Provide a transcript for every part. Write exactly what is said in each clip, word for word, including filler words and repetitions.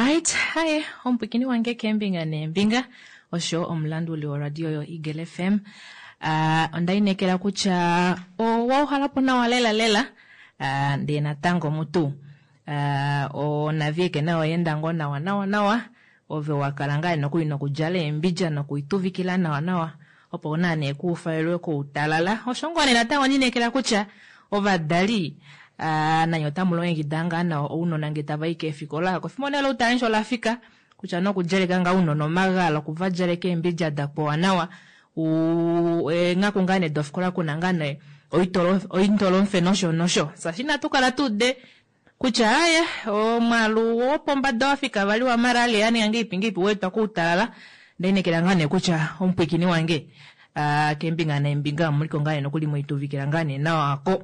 Alright, haye omupwikini wange keembinga neembinga osho omulanduli woradio yo Eagle F M. Uh, onda inekela kutya owa uhalapo nawa lela lela, uh, ndee natango mutu uh, onavieke nayo oyeenda ngoo nawa nawa nawa, ove wakala ngaa nokuli nokudjala eembidja nokuituvikila nawa nawa opo naa nee kuufalelwe koutalala. Osho ngoo nee natango ndinekela kutya ovadali uh, nanye otamu longekida ngaa nawa ounona ngee tava i keefikola kofimbo nee loutalala olafika kutya nokudjaleka ngaa ounona omagala, okuvadjaleka eembidja da powa nawa, eenghaku ngaa nee dofikola kuna ngaa nee oitolomfe nosho nosho. Shaashi inatu kala tuude kutya aye omwaalu wopombada wafika vali wa malaria ninga ngeipi ngeipi weetwa koutalala. Ndainekela ngaa nee kutya omupwikini wange uh, keembinga neembinga omuliko ngaa nee nokuli moituvikila ngaa nee nawa ko.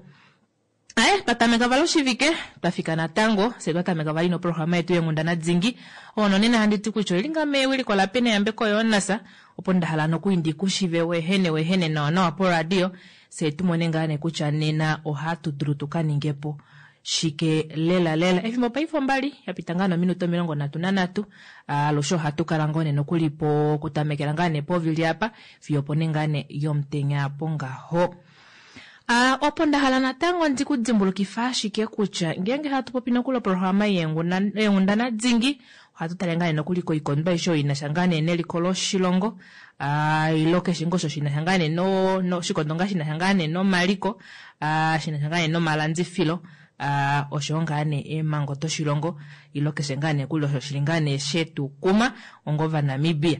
Aye, twatameka vali oshivike twafika natango fye twatameka vali noprograma yetu yenghundana dingi oyo nonena handi ti kutya oili ngaa mewiliko laPene Yambeko Jonas opo nda hala nokuli ndikushive wehene wehene nawa nawa poradio fye tumone ngaa nee kutya nena ohatu dulu tukaningepo shike lela lela. Efimbo paife ombali yapita ngaa nominute omilongo nhatu nanhatu, alushe ohatu kala ngoo nee nokuli po kutamekela ngaa nee povili apa fiyo opo nee ngaa nee yomutenya apo ngaho. Uh, opo nda hala natango ndikudimbulukifa ashike kutya ngeenge hatu popi nokuli oprograma yenghundana dingi ohatu tale ngaa nee nokuli koikondo aishe oyo inasha ngaa nee neliko loshilongo, uh, ilo keshe ngoo osho shinasha ngaa nee no, no oshikondo ngaa shinasha ngaa nee nomaliko, uh, shinasha ngaa nee nomalandifilo, uh, osho ngaa nee eemhango doshilongo ilo keshe ngaa nee kuli osho shili ngaa nee shetukuma onga Ovanamibia.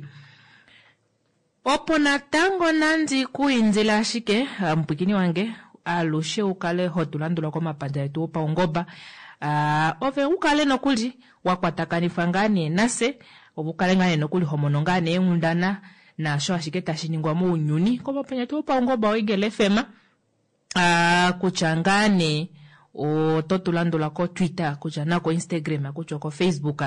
Opo natango nandi kuindila ashike omupwikini wange alushe ukale hotulandula komapandja etu opaungoba, uh, ove ukale nokuli wakwatakanifwa ngaa nee nase, ove ukale ngaa nee nokuli homono ngaa nee eenghundana naasho ashike tashi ningwa mounyuni komapandja etu opaungoba oEagle F M, uh, kutya ngaa nee oto tulandula ko Twitter, kutya nako Instagram, kutya oko Facebook,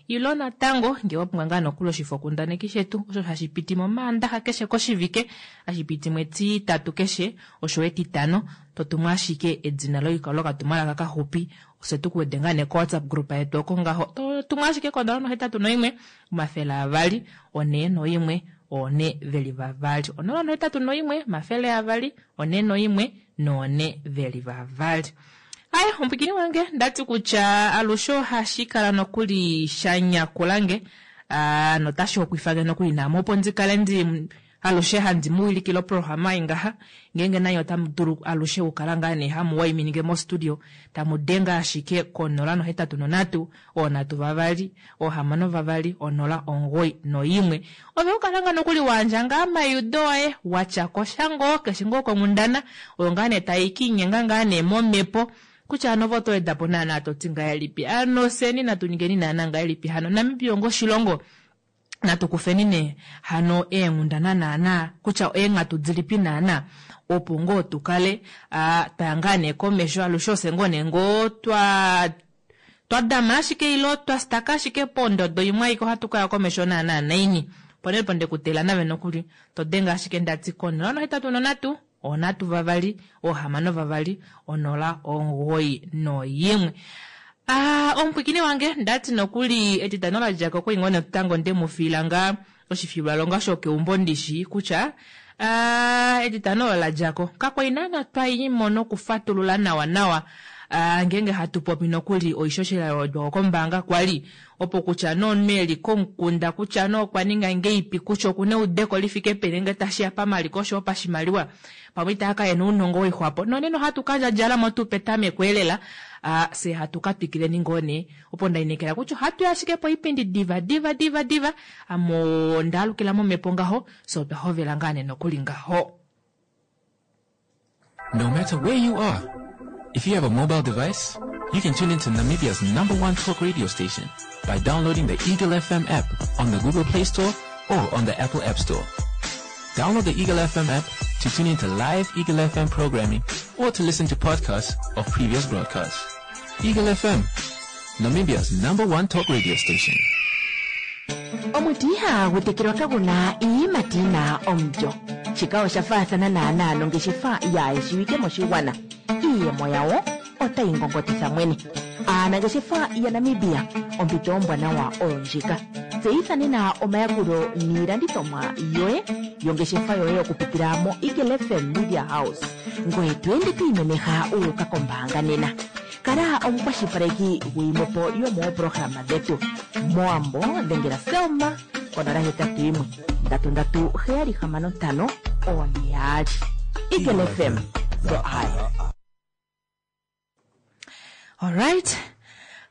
ilo natango ngee wapumbwa ngaa nokuli oshifokundaneki shetu osho hashi piti momaandaxa keshe koshivike, hashi piti mwetitatu keshe osho etitano, totumu ashike edina lokatumwalaka kaxupi fye tukuwede ngaa nee ko WhatsApp group yetu oko ngaho, totumu ashike konola nohetatu noimwe omafele avali onee noimwe one veli vavali, onola nohetatu noimwe omafele avali one noimwe noone veli vavali. Aye, omupwikini wange ndati kutya alushe ohashi kala nokuli shanyakulange, uh, notashi hokwifange nokuli naame opo ndikale ndi alushe handi muwilikile oprograma ei ngaha ngeenge nanye otamu dulu alushe okukala ngaa nee hamu waiminike mostudio tamu denge ashike konola nohetatu nonhatu oonhatu vavali oohamano vavali onola omugoyi noimwe, ove ukala ngaa nokuli wayandja ngaa omaliudo oye watya kosha ngoo keshe ngoo konghundana oyo ngaa nee tai kiinyenga ngaa nee momhepo kutya hano ove oto wedapo naana toti ngahelipi hano fyeni natu ningeni naana ngahelipi hano Namibia onga oshilongo natu kufeni nee hano eenghundana naana kutya eenghatu dilipi naana opo ngoo tukale twaya ngaa nee komesho alushe ofye ngoo nee ngoo twa twadama ashike ilo twastaka ashike pondodo imwe aike ohatu kaya komesho naana naini opo nee ndekutela nave nokuli todenge ashike ndati konola nohetatu nonhatu onhatu vavali oohamano vavali onola omugoyi noyimwe. Ah, omupwikini wange ndati nokuli etitano ladjako okwali ngoo natango ndemufiila ngaa oshifilwalonga shokeumbo ndishi kutya ah, etitano olo ladjako kakwali naana twaimo nokufatulula nawa nawa ah, ngeenge hatu popi nokuli oishoshela yawedwako kombaanga kwali opo kutya nomunhu eli komukunda kutya nee okwa ninga ngeipi kutya okuna eudeko lifike peni ngee tashiya pamaliko oshoyo pashimaliwa pamwe itaaka ena ounongo woixwapo nonena ohatu kandjadjalamo tuu petameko elela uh, fye hatu katwikileni ngoo nee opo ndainekela kutya ohatu ashike poipindi diva diva diva diva amo ndaalukila momhepo ngaho fye otwa hovela ngaa nee nokuli ngaho. No matter where you are, if you have a mobile device, you can tune into Namibia's number one talk radio station by downloading the Eagle F M app on the Google Play Store or on the Apple App Store. Download the Eagle F M app to tune into live Eagle F M programming or to listen to podcasts of previous broadcasts. Eagle F M, Namibia's number one talk radio station. Omuti ihagu tekelwa kagu na iiyimati yi na omulyo. Shika osha faathana naanaa nongeshefa yaayeshiwike moshigwana. Iiyemo yawo otayi ngongotitha mwene. Aanangeshefa yaNamibia, ompito ombwanawa oyo ndjika. Tseyitha nena omayakulo niilandithomwa yoye yongeshefa yoye okupitila moEagle F M Media House, ngoye to ende to imemeha wu uka kombaanga nena. Kala omukwashilipaleki gwiimwepo yomooprograma dhetu. Mowambo dhengela Selma konola hetatu yimwe ndatu ndatu heyali hamano ntano one yaali. Eagle F M, the eye. Alright.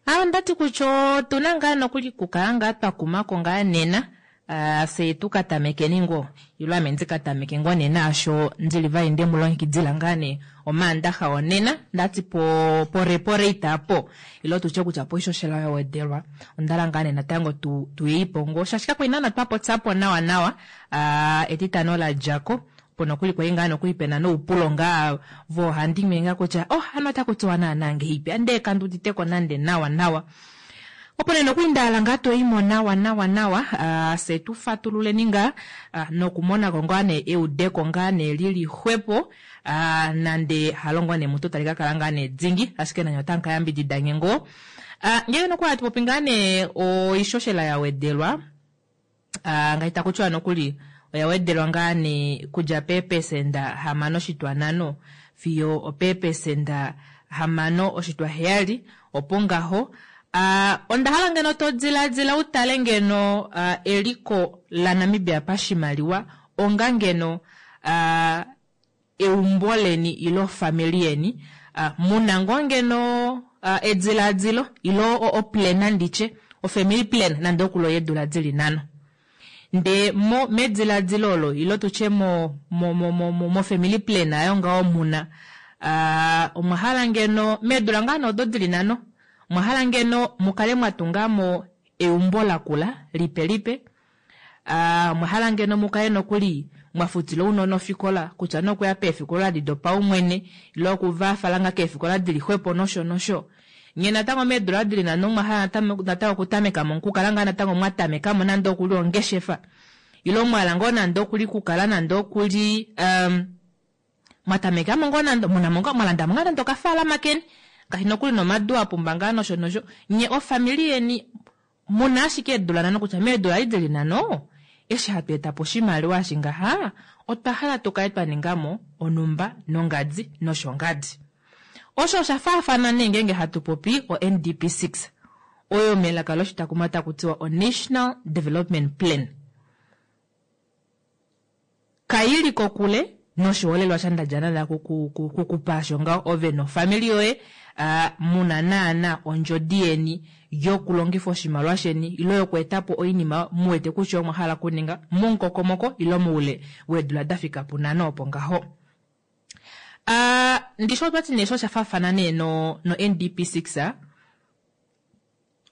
Ah, ndati kutya otuna ngaa nokuli kukala ngaa twa kumako ngaa nena. Ah, se tu ka tamekeni ngo ilo ame ndi ka tameke ngo nena asho ndili vali nde mu longekidila ngaa nee omaandaxa onena ndati po porepore itapo ilo tutye kutya po ishoshela ya wedelwa ondala ngaa nee natango tu tuyeipo ngo shaashi kakwa ina twa popyapo nawa nawa. Ah, etitano la djako po nokuli kwali ngaa nokuli pena noupulo ngaa vohandimwe ngaa kutya oh hano otaku tiwa naana ngeipi ande kanduditeko nande nawa nawa. Opo nee nokuli ndahala ngaa toyimo nawa nawa nawa, ah, se tu fatululeni ngaa, ah, nokumonako ngaa nee eudeko ngaa nee lili xwepo, ah, nande halongo nee mutu tali ka kala ngaa nee dingi, ashike nanye otamu ka yambidida nge ngoo. Ah, ngele nokuli hatu popi ngaa nee oishoshela ya wedelwa, ah, ngaashi taku tiwa nokuli oya wedelwa ngaa nee kudja peepesenda hamano oshitwa nhano fiyo opeepesenda hamano oshitwa heyali, opo ngaho. Ah, onda hala ngeno to diladila utale ngeno, ah, eliko laNamibia pashimaliwa onga ngeno, ah, eumbo leni ilo family yeni, ah, muna ngoo ngeno, ah, ediladilo ilo o-, o plan nditye, o family plan nande okulo yeedula dili nhano. Nde mo mediladilo olo ilo tutye mo, mo, mo, mo, mo, mo family plan ayo ngaho muna, ah, omwa hala ngeno meedula ngaa nee odo dili nhano, omwa hala ngeno mukale mwa tungamo eumbo lakula lipe lipe, ah, omwa hala ngeno mukale nokuli mwa futila ounona ofikola kutya nokuya peefikola di dopaumwene ilo okuvafala nga keefikola dili xwepo nosho nosho. Nye natango meedula dili nhano mwa hala natango, natango okutameka mo okukala ngaa natango mwa tameka mo nande okuli ongeshefa ilo mwa hala ngoo nande okuli kukala nande okuli, um, mwa tameka mo ngoo nande, muna mo ngoo, mwa landa mo ngaa nande okafaalama keni ngaashi nokuli nomadu a pumba ngaa nosho nosho. Nye ofamili yeni muna ashike eedula nhano kutya meedula edi dili nhano eshi hatu eta po oshimaliwa eshi ngaha otwa hala tu kale twa ninga mo onumba nongadi noshongadi. Osho osha faafana nee ngeenge hatu popi o N D P six oyo melaka loshitakuma taku tiwa o National Development Plan. Kaili kokule noshiholelwa shandadjana la kuku-, kuku-, kukupaasho ngaho ove nofamili yoye, ah, muna naana ondjodi yeni yokulongifa oshimaliwa sheni ilo yoku eta po oinima mu wete kutya omwa hala kuninga momukokomoko ilo moule weedula da fika punhano opo ngaho. Ah, ndisho otwati nee sho osha faafana nee no, no N D P six, ah,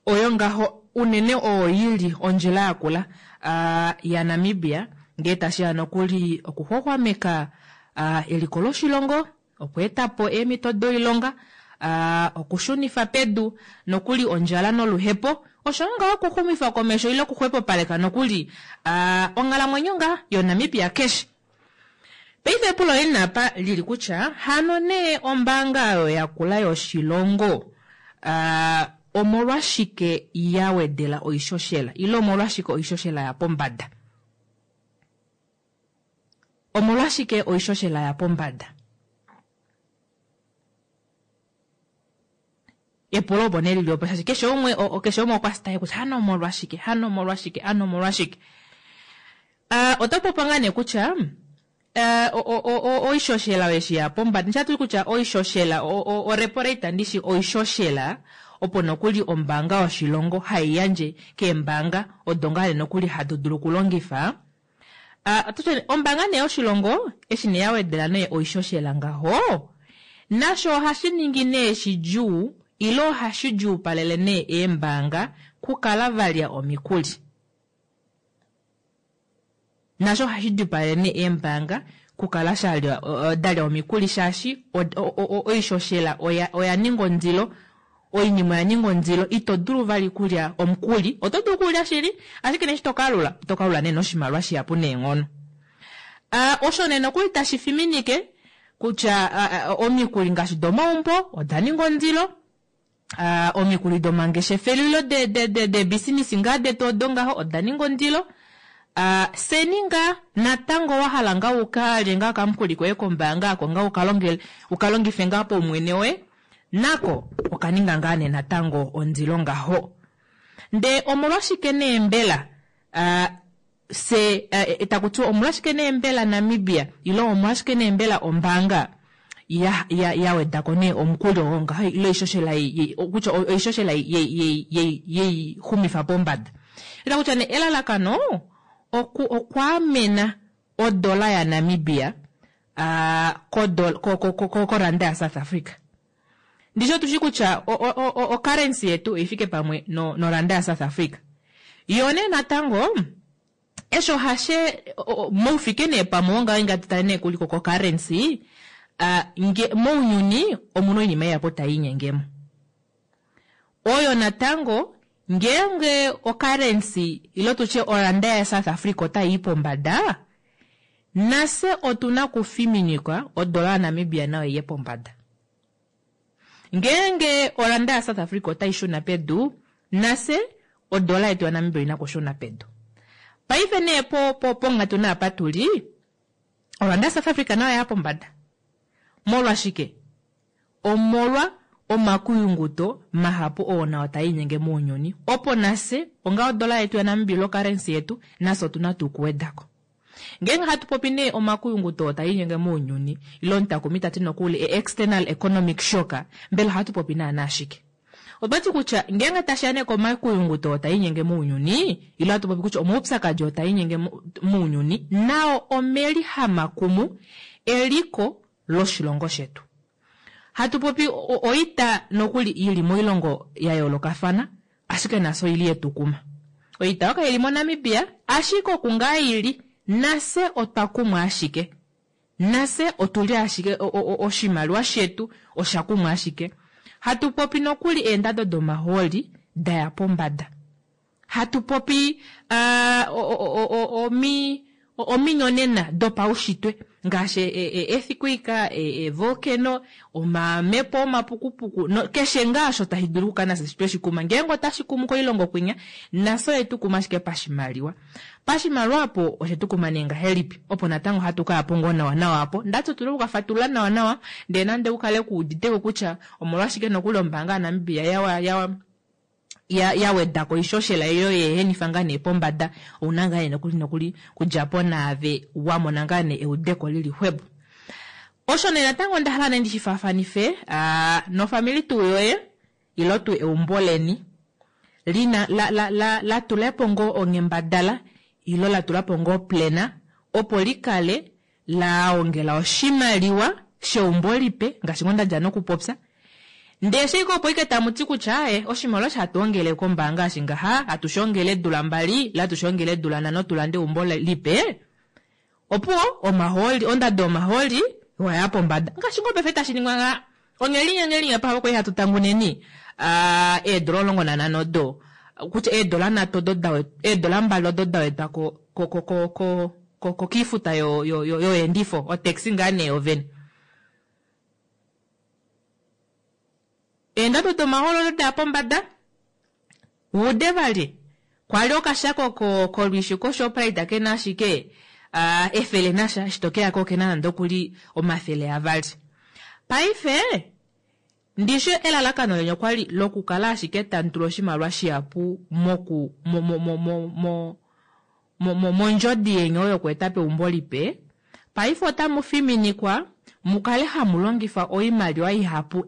oyo ngaho unene oyo yili ondjila yakula, ah, ya Namibia ngee tashiya nokuli okuxwaxwameka, ah, eliko loshilongo, okweetapo eemhito doilonga, ah, okushunifa pedu nokuli ondjala noluhepo, osho ngaho okuxumifa komesho ile okuxwepopaleka nokuli, ah, onghalamwenyo ngaa yoNamibia keshe. Paife epulo lili napa lili kutya hano nee ombaanga oyo yakula yoshilongo, ah, omolwashike ya wedela oishoshela ile omolwashike oishoshela ya pombada? Omolwashike oishoshela ya pombada? Epulo opo nee lili opo, shaashi keshe umwe, o, o, keshe umwe okwa sitaye kutya hano omolwashike, hano omolwashike, hano omolwashike. Ah, oto popi ngaa nee kutya, eh, o, o, o, o, oishoshela eshi ya pombada. Nshatu kutya oishoshela, o, o, o repo rate ndishi oishoshela, opo nokuli ombaanga yoshilongo hai yandje keembaanga odo ngaa nokuli hatu dulu okulongifa. Ah, oto tye, ombaanga nee yoshilongo eshi nee ya wedela nee oishoshela ngaho, nasho ohashi ningi nee shidjuu ile ohashi djuupalele nee eembaanga kukala valya omikuli. Nasho ohashi djuupalele nee eembaanga kukala shalya, o, o, dalya omikuli shaashi o, o, o, o, oishoshela oya, oya ninga ondilo, oinima oya ninga ondilo, ito dulu vali kulya omukuli, oto dulu kulya shili, ashike nee eshi to kalula, oto kalula nee noshimaliwa shihapu neenghono. Ah, osho nee nokuli tashi fiminike kutya, ah, ah, omikuli ngaashi domaumbo oda ninga ondilo, Uh, omikuli domangeshefelo de de de de business ngaa detu odo ngaho oda ninga ondilo. Uh, seni ngaa natango wahala ngaa ukalye ngaa okamukuli koye kombaanga ako ngaa ukalongele ukalongife ngaa paumwene woye nako okaninga ngaa nee natango ondilo ngaho. Ndee omolwashike nee mbela uh, se uh, takutiwa omolwashike nee mbela Namibia ile omolwashike nee mbela ombaanga ya ya ya wedako nee omukuli oo ngaho ile oishoshela kutya oishoshela yei xumifa pombada. Ita kutya nee elalakano oku okwaamena odola ya Namibia uh, koranda ya South Africa. Ndishi otushi kutya o currency yetu oifike pamwe no noranda ya South Africa. Yo nee natango esho hashe moufike nee pamwe onga inga tutale nee kuliko ko currency uh, nge mounyuni omuna oinima ihapu tai inyengemo. Oyo natango ngeenge o currency ilo tutye oranda ya South Africa otai i pombada, nase otuna kufiminikwa odola ya Namibia nayo iye pombada. Ngeenge oranda ya South Africa otai shuna pedu, nase odola yetu ya Namibia oina kushuna pedu. Paife nee po po ponghatu naapa tuli, oranda ya South Africa nayo ya pombada. Molwashike? Omolwa omakuyunguto mahapu oo nao taa inyenge mounyuni. Opo nase onga odola yetu ya Namibia ilo currency yetu, nase otuna tuu okuwedako. Ngeenge hatu popi nee omakuyunguto oo taa inyenge mounyuni, ilo omutakumi tati nokuli e external economic shock, mbela ohatu popi naana ashike? Otwati kutya ngeenge tashiya nee komakuyunguto oo taa inyenge mounyuni, ilo hatu popi kutya omaupyakadi oo taa inyenge mounyuni, nao omeli hamakumu eliko loshilongo shetu. Hatu popi oita nokuli ili moilongo ya yoolokafana, ashike nase oili yetukuma. Oita oyo kaili moNamibia, ashike oku ngaa ili, nase otwa kumwa ashike. Nase otuli ashike oshimaliwa shetu osha kumwa ashike. Hatu popi nokuli eendado domahooli daya pombada. Hatu popi uh, omi ominyonena dopaushitwe ngaashi earthquake, e volcano, omamepo omapukupuku no, keshe ngaa osho tashi dulu okukala nase tweshi kuma. Ngeenge otashi kumu koilongo kwinya, nase oyetu kuma ashike pashimaliwa. Pashimaliwa apo oshetu kuma nee ngahelipi? Opo natango hatu kaya po ngoo nawa nawa apo. Ndati otuna okukafatulula nawa nawa, ndee nande ukale kuuditeko kutya omolwashike nokuli ombaanga yaNamibia yawa yawa ya ya wedako oishoshela iyo yeehenifa ngaa nee pombada, ouna ngaa nee nokuli nokuli kudjapo naave wamona ngaa nee eudeko lili xwepo. Osho nee natango onda hala nee ndishi faafanife uh, nofamili tuu yoye ilo tuu eumbo leni lina la la la la tulapo ngoo ongembadala ilo la tulapo ngoo plena opo likale la ongela oshimaliwa sheumbo lipe ngaashi ngoo ndadja nokupopya. Ndee shike opo ike tamu ti kutya aye oshimaliwa sha hatu ongele kombaanga ashi ngaha hatu shongele eedula mbali ile hatu shongele eedula nhano tulande eumbo lipe, opuwo omahooli ondado yomahooli waya pombada ngaashi ngoo paife tashi ningwa ngaa ongelinya ngelinya pa kwali hatu tanguneni uh, eedola omulongo nanhano odo kutya eedola nhatu odo da eedola mbali odo da wedwa ko ko ko ko ko ko kiifuta yo yo yo yoendifo otaxi ngaa nee yovene. Eendado domahooli odo daya pombada wude vali kwali okashako ko kolwishi koShoprite kena ashike uh, efele nasha eshi tokeyako okena nande okuli omafele avali. Paife ndishi elalakano leni okwali lokukala ashike tamu tula oshimaliwa shihapu moku mo mo mo mo mo mo mondjodi yeni oyo yokweeta peumbo lipe. Paife otamu fiminikwa mukale hamu longifa oimaliwa ihapu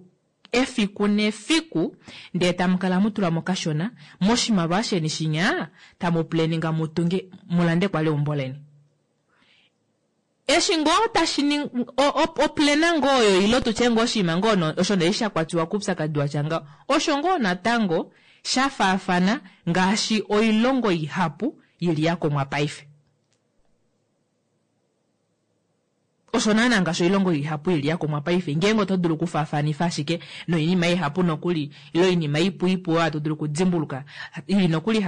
efiku nefiku, ndee tamu kala mutula mo kashona moshimaliwa sheni shinya tamu planinga mutunge mulande kwali eumbo leni. Eshi ngoo tashi oplena ngoo oyo ilo tutye ngoo oshinima ngoo osho nee sha kwatiwa koupyakadi watya ngaho, osho ngoo natango sha faafana ngaashi oilongo ihapu ili ya kumwa paife. Osho naana ngaashi oilongo ihapu ili ya kumwa paife, ngeenge oto dulu okufaafanifa ashike noinima ihapu nokuli ilo oinima ipu ipu oyo hatu dulu okudimbuluka ili nokuli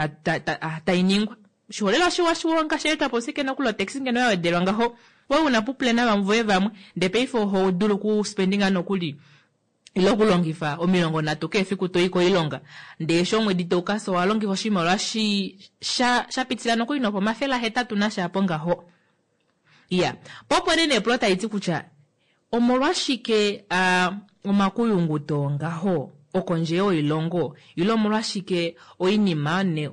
tai ningwa. Oshiholelwa shiwa shiwa ngaashi etwapo sike nokuli otaxi ngeno ya wedelwa ngaho, wewe una puplena vamwe voye vamwe ndee paife oho dulu okuspendinga nokuli Ile okulongifa omilongo nhatu keshe efiku toi koilonga, ndee eshi omwedi taukasa owa longifa oshimaliwa shi sha shapitila nokuli nopomafele ahetatu nasha apo ngaho. Iya, po opo nee nepulo taliti kutya omolwashike uh, omakuyunguto ngaho okondje yoilongo, ile omolwashike oinima ne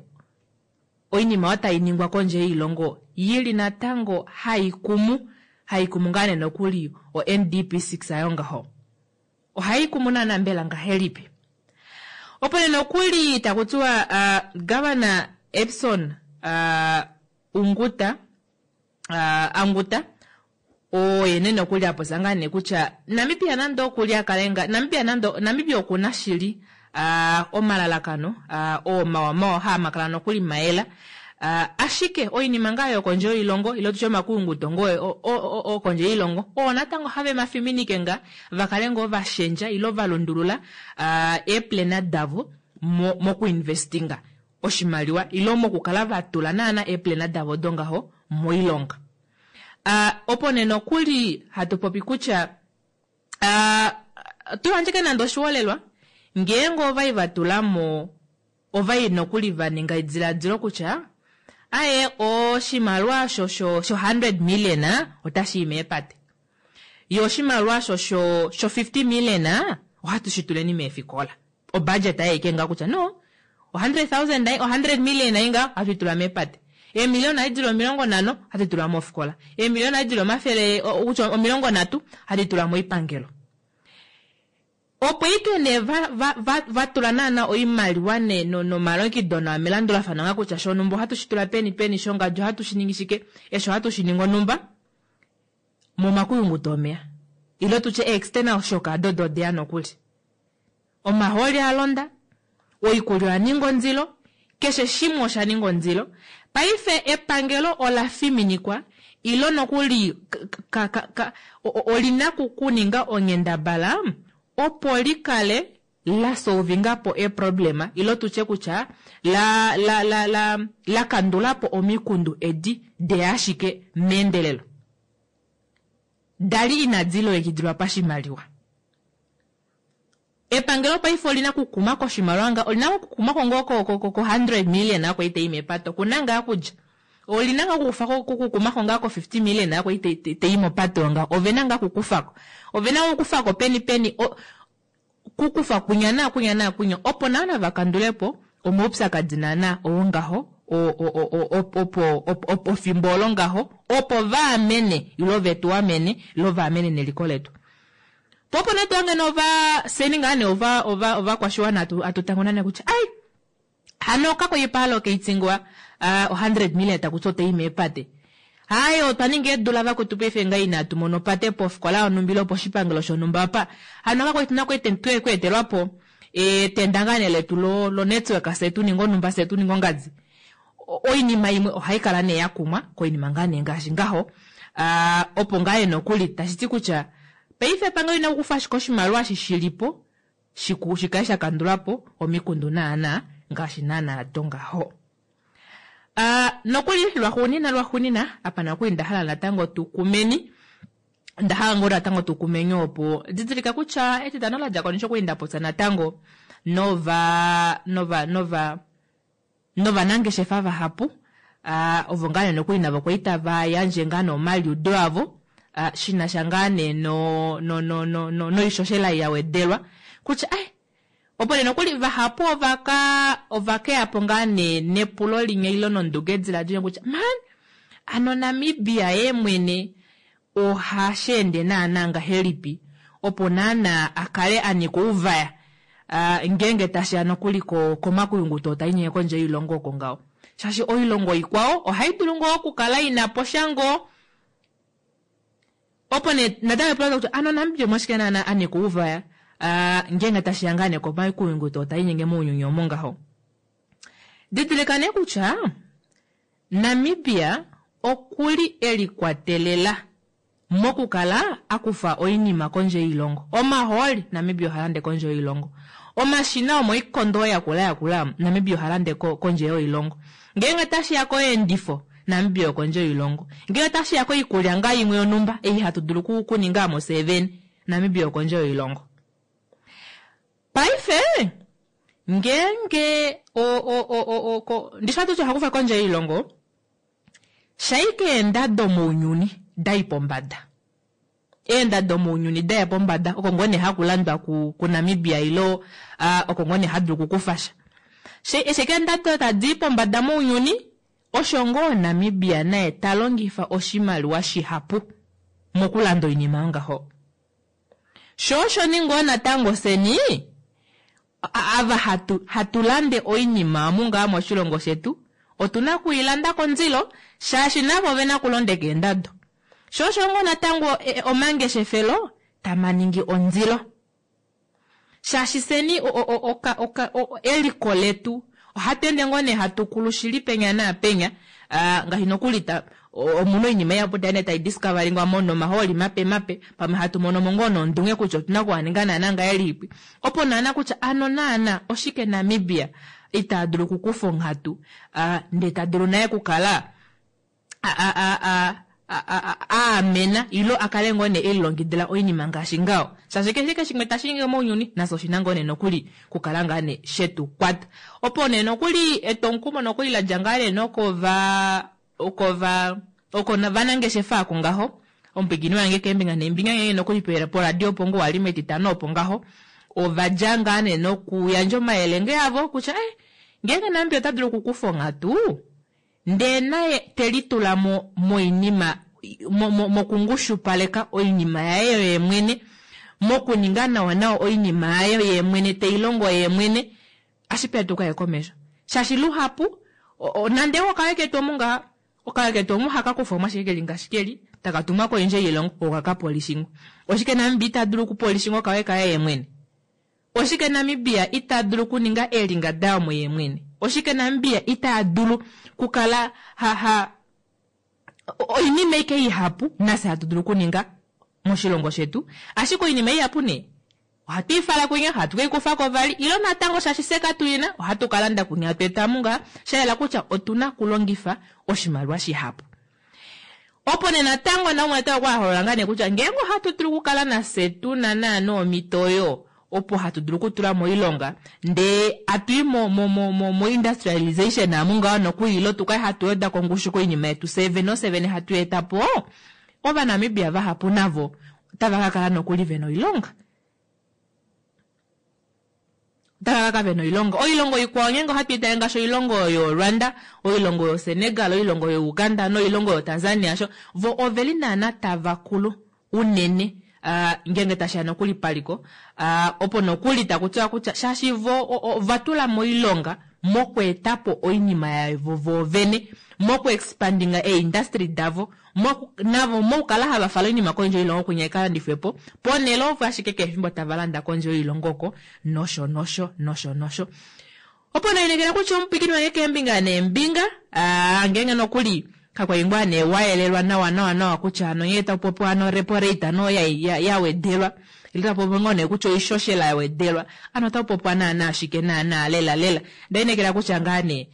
oinima oyo tai ningwa kondje yoilongo yili natango haikumu haikumu ngaa nee nokuli o N D P six ayo ngaho. Ohai kumu naana mbela ngahelipi? Opo nee nokuli taku tiwa, uh, Governor Epson, uh, Unguta, uh, Anguta, oye nee nokuli a popya ngaa nee kutya Namibia nande okuli a kale nga, Namibia nande, Namibia okuna shili, uh, omalalakano, uh, oo mawa mawa haa makala nokuli maela. Uh, ashike oinima ngaa yokondje yoilongo, ile tutye omakuyunguto ngoo o, o, o, okondje yoilongo, oo natango have mafiminike nga, va kale ngoo va shendja, ile va lundulula, uh, eeplana davo mo-, mokuinvestinga oshimaliwa, ile mokukala va tula naana eeplana davo dongaho moilonga. Uh, opo nee nokuli hatu popi kutya, uh, tu yandjeke nande oshiholelwa, ngeenge ovai va tula mo, ovai nokuli va ninga ediladilo kutya, aye, oshimaliwa sho, sho, sho hundred million, otashi i meepate. Yo oshimaliwa sho, sho, sho fifty million, ohatu shi tuleni meefikola. O budget aye ike nga kutya, no, o hundred thousand, o hundred million ayi nga, ohatu tula meepate. Eemiliona ayi dili omilongo nhano, ohatu tula mofikola. Eemiliona ayi dili omafele, o, kutya omilongo nhatu, ohatu tula moipangelo. Opo ike ne va, va, va, va tula naana oimaliwa ne, no, nomalongido na melandulafano nga kutya shonumba ohatu shi tula peni peni, shongadi ohatu shi ningi shike, esho ohatu shi ningi onumba, momakuyunguto omeya. Ile tutye external shock adodo odeya nokuli. Omahooli a londa, oikulya oya ninga ondilo, keshe shimwe osha ninga ondilo. Paife epangelo ola fiminikwa, ilo nokuli ka, ka, ka, o, o, olina kuninga onghendabala, opo likale la solvinga po e problema, ilo tutye kutya la, la, la, la, la kandula po omikundu edi de ashike meendelelo. Dali inadi longekidilwa pashimaliwa. Epangelo paife olina kukuma koshimaliwa nga, olina kukuma ko ngoo ko, ko, ko, ko hundred million ako ite imepato. Kuna ngaa kudja. Olina nga kukufa ko, ko, kukuma ko ngaa ko fifty million ako ite, ite, ite imopato nga. Ovena ngaa kukufako. Ovena kukufako peni peni, o, kukufa kunya na kunya na kunya. Opo naana vakandulepo omaupyakadi naana oongaho, o, o, o, o, o, opo, opo, opo fimbo olo ngaho, opo vaamene, ilo vetu amene, ilo vaamene neliko letu. Popo nee twange nova seni ngaa nee ova, ova, ovakwashiwana atu, atu tango nane kutya, ai, hano kako yipalo keitingwa, ah, o hundred million takuti otei meepate. Ai, otwa ninga eedula vakwetu paife nga inatu mona opate pofikola yonhumba ile poshipangelo shonhumba apa. Hano kako ituna kwete, twe kweetelwa po, e, tenda ngaa nee letu lo, lo network se tu ninga onhumba, se tu ninga ongadi. O-, oinima imwe ohai kala nee ya kumwa koinima ngaa nee ngaashi ngaho. Ah, opo ngaa nee nokuli tashi ti kutya paife epangelo ina kufa ashike oshimaliwa eshi shilipo, shiku, shikale sha kandula po omikundu naana ngaashi naana do ngaho. Ah, nokuli lwaxuunina, lwaxuunina, apa nokuli nda hala natango tukumeni. Nda hala ngoo natango tukumeni opo didilika kutya etitano la dja ko nisho kwali nda popya natango nova, nova, nova, novanangeshefa vahapu. Ah, ovo ngaa nee nokuli navo kwali tava yandje ngaa nee omaliudo avo, ah, shi na sha ngaa nee no, no, no, no, no, noishoshela ya wedelwa. Kutya, ai, opo nee nokuli vahapu ovaka, ovakeya po ngaa nee nepulo limwe ilo nonduge ediladilo kutya, man, ano Namibia ye mwene oha sheende naana ngahelipi, opo naana a kale a nika ouvaya, ah, ngeenge tashiya nokuli ko-, komakuyunguto ta inyenge kondje yoilongo oko ngaho. Shaashi oilongo ikwao ohai dulu ngoo okukala ina po sha ngoo. Opo nee natango epulo kutya, ano Namibia omwashike naana a nika ouvaya, ah, ngeenge tashiya ngaa nee komakuyunguto ta inyenge mounyuni omo ngaho. Didilika nee kutya Namibia okuli e likwatelela mokukala a kufa oinima kondje yoilongo. Omahooli Namibia oha lande kondje yoilongo. Omashina omoikondo ya kula ya kula Namibia oha lande ko-, kondje yoilongo. Ngeenge tashiya koendifo Namibia okondje yoilongo. Ngeenge tashiya koikulya ngaa imwe yonhumba ei hatu dulu ku-, kuninga mo seven Namibia okondje yoilongo. Paife ngeenge ndishi ohatuti ohakufa kondje yoilongo, shaike eendado mounyuni dai pombada, eendado mounyuni daya pombada oko ngoo nee hakulandwa kuNamibia ilo oko ngoo nee hadulu okukufasha. Eshi ashike eendado tadii pombada mounyuni, osho ngoo Namibia naye talongifa oshimaliwa shihapu mokulanda oinima yongaho. Shoo osho nee ngoo natango fyeni ava hatu hatu lande oinima omu ngaa moshilongo shetu otuna okwiilanda kondilo shaashi navo ovena okulondeka eendado. Shoo osho ngoo natango omangeshefelo tamaningi ondilo. Shaashi fyeni eliko letu ohatu ende ngoo nee hatu kulu shili penya naapenya, ngaashi nokuli omuna oinima ihapu tayeende taidiscoveringwa nomahooli mape mape, pamwe hatu monomo ngoo nondunge kutya otuna okuhaninga naana ngahelipi, opo naana kutya ano naana oshike Namibia ita dulu okukufa onghatu ndee tadulu naye okukala aamena ilo akale ngoo nee elilongekidila oinima ngaashi ngaho. Shaashi keshe shimwe tashiningi mounyuni nafye oshina ngoo nee nokuli kukala ngaa nee shetukwata. Opo nee nokuli etwomukumo nokuli ladja ngaa nee nokova okova oko vanangeshefa oko ngaho, omupwiikini wange keembinga neembinga ngeenge nokuli poradio opo ngoo wali metitano opo ngaho, ovadja ngaa nee nokuyandja omayele nge avo kutya eh, ngeenge Namibia ota dulu okukufa onghatu ndee naye telitula mo moinima mokungushupaleka oinima yaye yeemwene, mokuninga nawa nawa oinima yaye yeemwene teilongo yeemwene, ashipe tukaye komesho. Shaashi luhapu nande okawe ketu omu ngaha, okawe ketu omu hakakufa ashike keli ngaashi keli, taka tumwa kondje yoilongo okakapolishingwa. Oshike Namibia ita dulu okupolishingwa okawe kaye yeemwene? Oshike Namibia ita dulu okuninga eelinga dayo yeemwene? Oshike Namibia ita dulu kukala ha ha oinima ike ihapu nafye hatu dulu okuninga moshilongo shetu, ashike oinima ihapu nee ohatu ifala kwinya, hatu keikufako vali, ilo natango shaashi fye katuina ohatu kalanda kwinya hatu eta mungaha, shayela kutya otuna okulongifa oshimaliwa shihapu. Opo nee natango naumwe natango okwa holola ngaa nee kutya ngeenge ohatu dulu okukala nafye tuna naana omhito oyo opo hatu dulu okutula moilonga ndee atui mo mo mo mo mo industrialization amu ngaho nokuli ilo tukale hatu weda kongushu koinima yetu fye vene ofye vene hatu eta po, Ovanamibia vahapu navo otava ka kala nokuli vena oilonga. Otava ka kala vena oilonga. Oilongo ikwao ngeenge ohatu itale ngaashi oilongo yoRwanda, oilongo yoSenegal, oilongo yoUganda noilongo yoTanzania sho vo oveli naana tava kulu unene uh, ngeenge tashiya nokuli paliko uh, opo nokuli takutiwa kutya shaashi vo ovatula moilonga mokweetapo oinima yavo voovene, mokuexpandinga eindustry davo, navo mokukala hava fala oinima kondje yoilongo kwinya ikalandifwepo, ponhele opo ashike keshe efimbo tava landa kondje yoilongo oko, nosho nosho nosho nosho. Opo nainekela kutya omupwikini wange keembinga neembinga, ngeenge nokuli kakwali ngoo nee wayelelwa nawa nawa nawa kutya hano nghee takupopiwa hano repo rate hano ya wedelwa, ile takupopiwa ngoo nee kutya oishoshela ya wedelwa, ano otakupopiwa naana ashike naana lela lela. Ndainekela kutya ngaa nee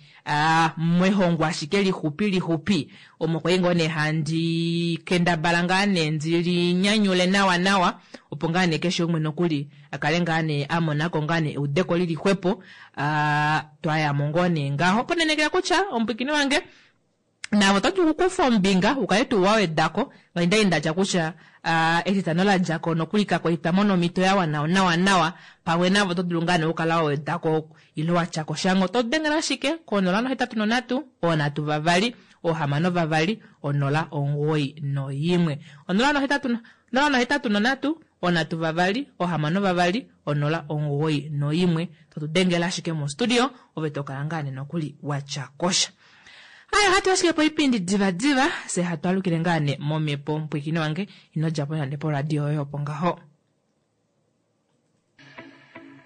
mwehongo ashike lixupi lixupi omo kwali ngoo nee handi kendabala ngaa nee ndilinyanyule nawa nawa, opo ngaa nee keshe umwe nokuli akale ngaa nee amonako ngaa nee eudeko lili xwepo, twayamo ngoo nee ngaho. Opo ndainekela kutya omupwikini wange navo oto dulu okukufa ombinga ukale tuu wawedako, ngaashi ndatya kutya etitano ladjako nokuli kakwali twamona omhito ya wana nawa nawa, pamwe navo oto dulu ngaa nee okukala wawedako ile watyako shango. Oto dengele ashike konola nohetatu nonhatu, oonhatu vavali, oohamano vavali, onola omugoyi noyimwe. Onola nohetatu onola nohetatu nonhatu, oonhatu vavali, oohamano vavali, onola omugoyi noyimwe. Totu dengele ashike mostudio ove tokala ngaa nee nokuli watyakosha. Aya hatu ashike poipindi diva diva, se hatu alukile ngaa nee momhepo. Mupwikini wange ino djapo nande poradio yoye opo ngaho.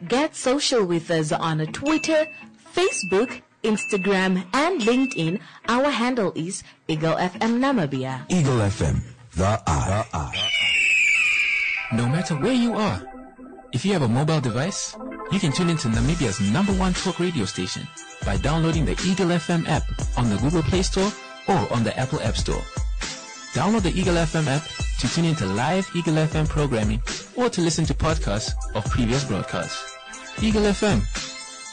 Get social with us on Twitter, Facebook, Instagram, and LinkedIn. Our handle is Eagle F M Namibia. Eagle F M, the eye. No matter where you are, if you have a mobile device, you can tune into Namibia's number one talk radio station by downloading the Eagle F M app on the Google Play Store or on the Apple App Store. Download the Eagle F M app to tune into live Eagle F M programming or to listen to podcasts of previous broadcasts. Eagle F M,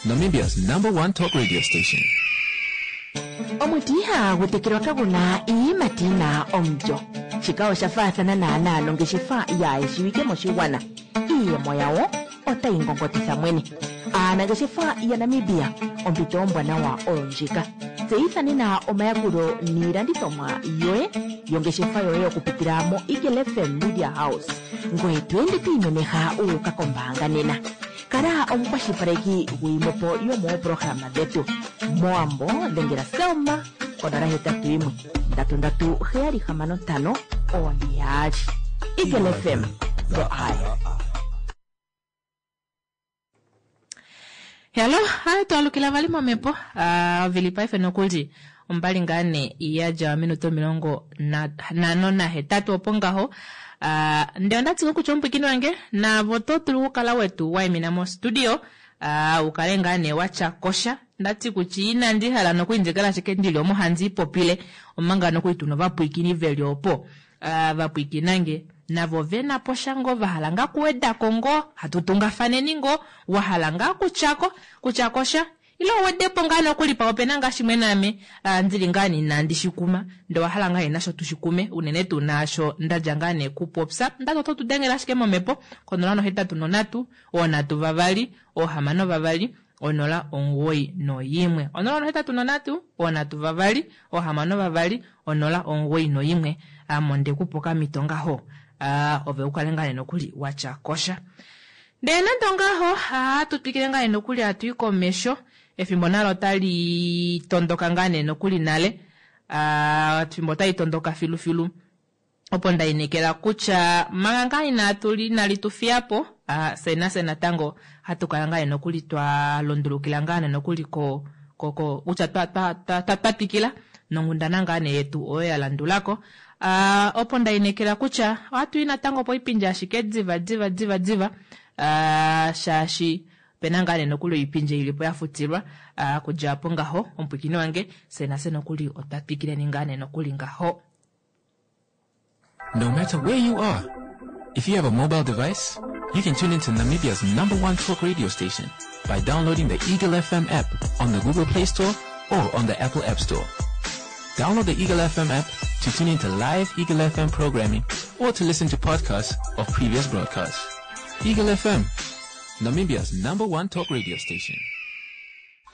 Namibia's number one talk radio station. Omuti ihagu tekelwa kaguna iiyimati yina omulyo. Shika osha faathana naanaa nongeshefa yaayeshiwike moshigwana. Iiyemo yawo otayi ngongotitha mwene. Aanangeshefa yaNamibia, ompito ombwanawa oyo ndjika. Tseyitha nena omayakulo niilandithomwa yoye yongeshefa yoye okupitila mo Eagle F M Media House, ngoye to ende to imemeha wu uka kombaanga nena. Kala omukwashilipaleki gwiimwepo yomoopolohalama dhetu. Mowambo dhengela Selma konola hetatu yimwe ndatu ndatu heyali hamano ntano one yaali. Eagle F M, the eye. Hello, hai twalukila vali momhepo. Uh, ovili paife nokuli ombali ngaa ne yadja ominute omilongo nhano nahetatu opo ngaho. Uh, ndee onda tsika kutya omupwikini wange navo oto dulu okukala wetu waimina mostudio uh, ukale ngaa ne watya kosha. Ndati kutya inandi hala nokuli ndikala ashike ndili omo handi ipopile omanga nokuli tuna ovapwiikini veli opo uh, vapwiikinange navo vena po sha ngoo vahala ngaa kuwedako ngoo hatu tungafaneni ngoo wahala ngaa kutyako kutyako sha ile uwedepo ngaa nokuli pa opena ngaa shimwe naame uh, ndili ngaa inandi shikuma ndee owahala ngaa nasho tushikume unene tuu naasho ndadja ngaa nee kupopya. Ndati oto tu dengele ashike momhepo konola nohetatu nonhatu oonhatu vavali oohamano vavali onola omugoyi noyimwe onola nohetatu nonhatu oonhatu vavali oohamano vavali onola omugoyi noyimwe. Ame ondekupa okamhito ngaho uh, ove ukale ngaa nee nokuli watya kosha. Ndee nande ongaho ohatu twikile ngaa nee nokuli hatu i komesho. Efimbo nalo otali tondoka ngaa nee nokuli nale. Uh, efimbo otali tondoka filufilu opo ndainekela kutya manga ngaa inatu inali tu fiyapo uh, fye nafye natango hatu kala ngaa nee nokuli twa lundulukila ngaa nee nokuli ko ko ko kutya twa twa twa twa twikila nonghundana ngaa nee yetu oyo ya landulako. Uh, opo ndainekela kutya ohatu i natango poipindi ashike diva diva diva diva uh, shaashi opena ngaa nee nokuli oipindi ilipo yafutilwa uh, kudja apo ngaho omupwikini wange fye nafye nokuli otwa twikileni ngaa nee nokuli ngaho. No matter where you are, if you have a mobile device, you can tune into Namibia's number one talk radio station by downloading the Eagle F M app on the Google Play Store or on the Apple App Store. Download the Eagle F M app to tune into live Eagle F M programming or to listen to podcasts of previous broadcasts. Eagle F M, Namibia's number one talk radio station.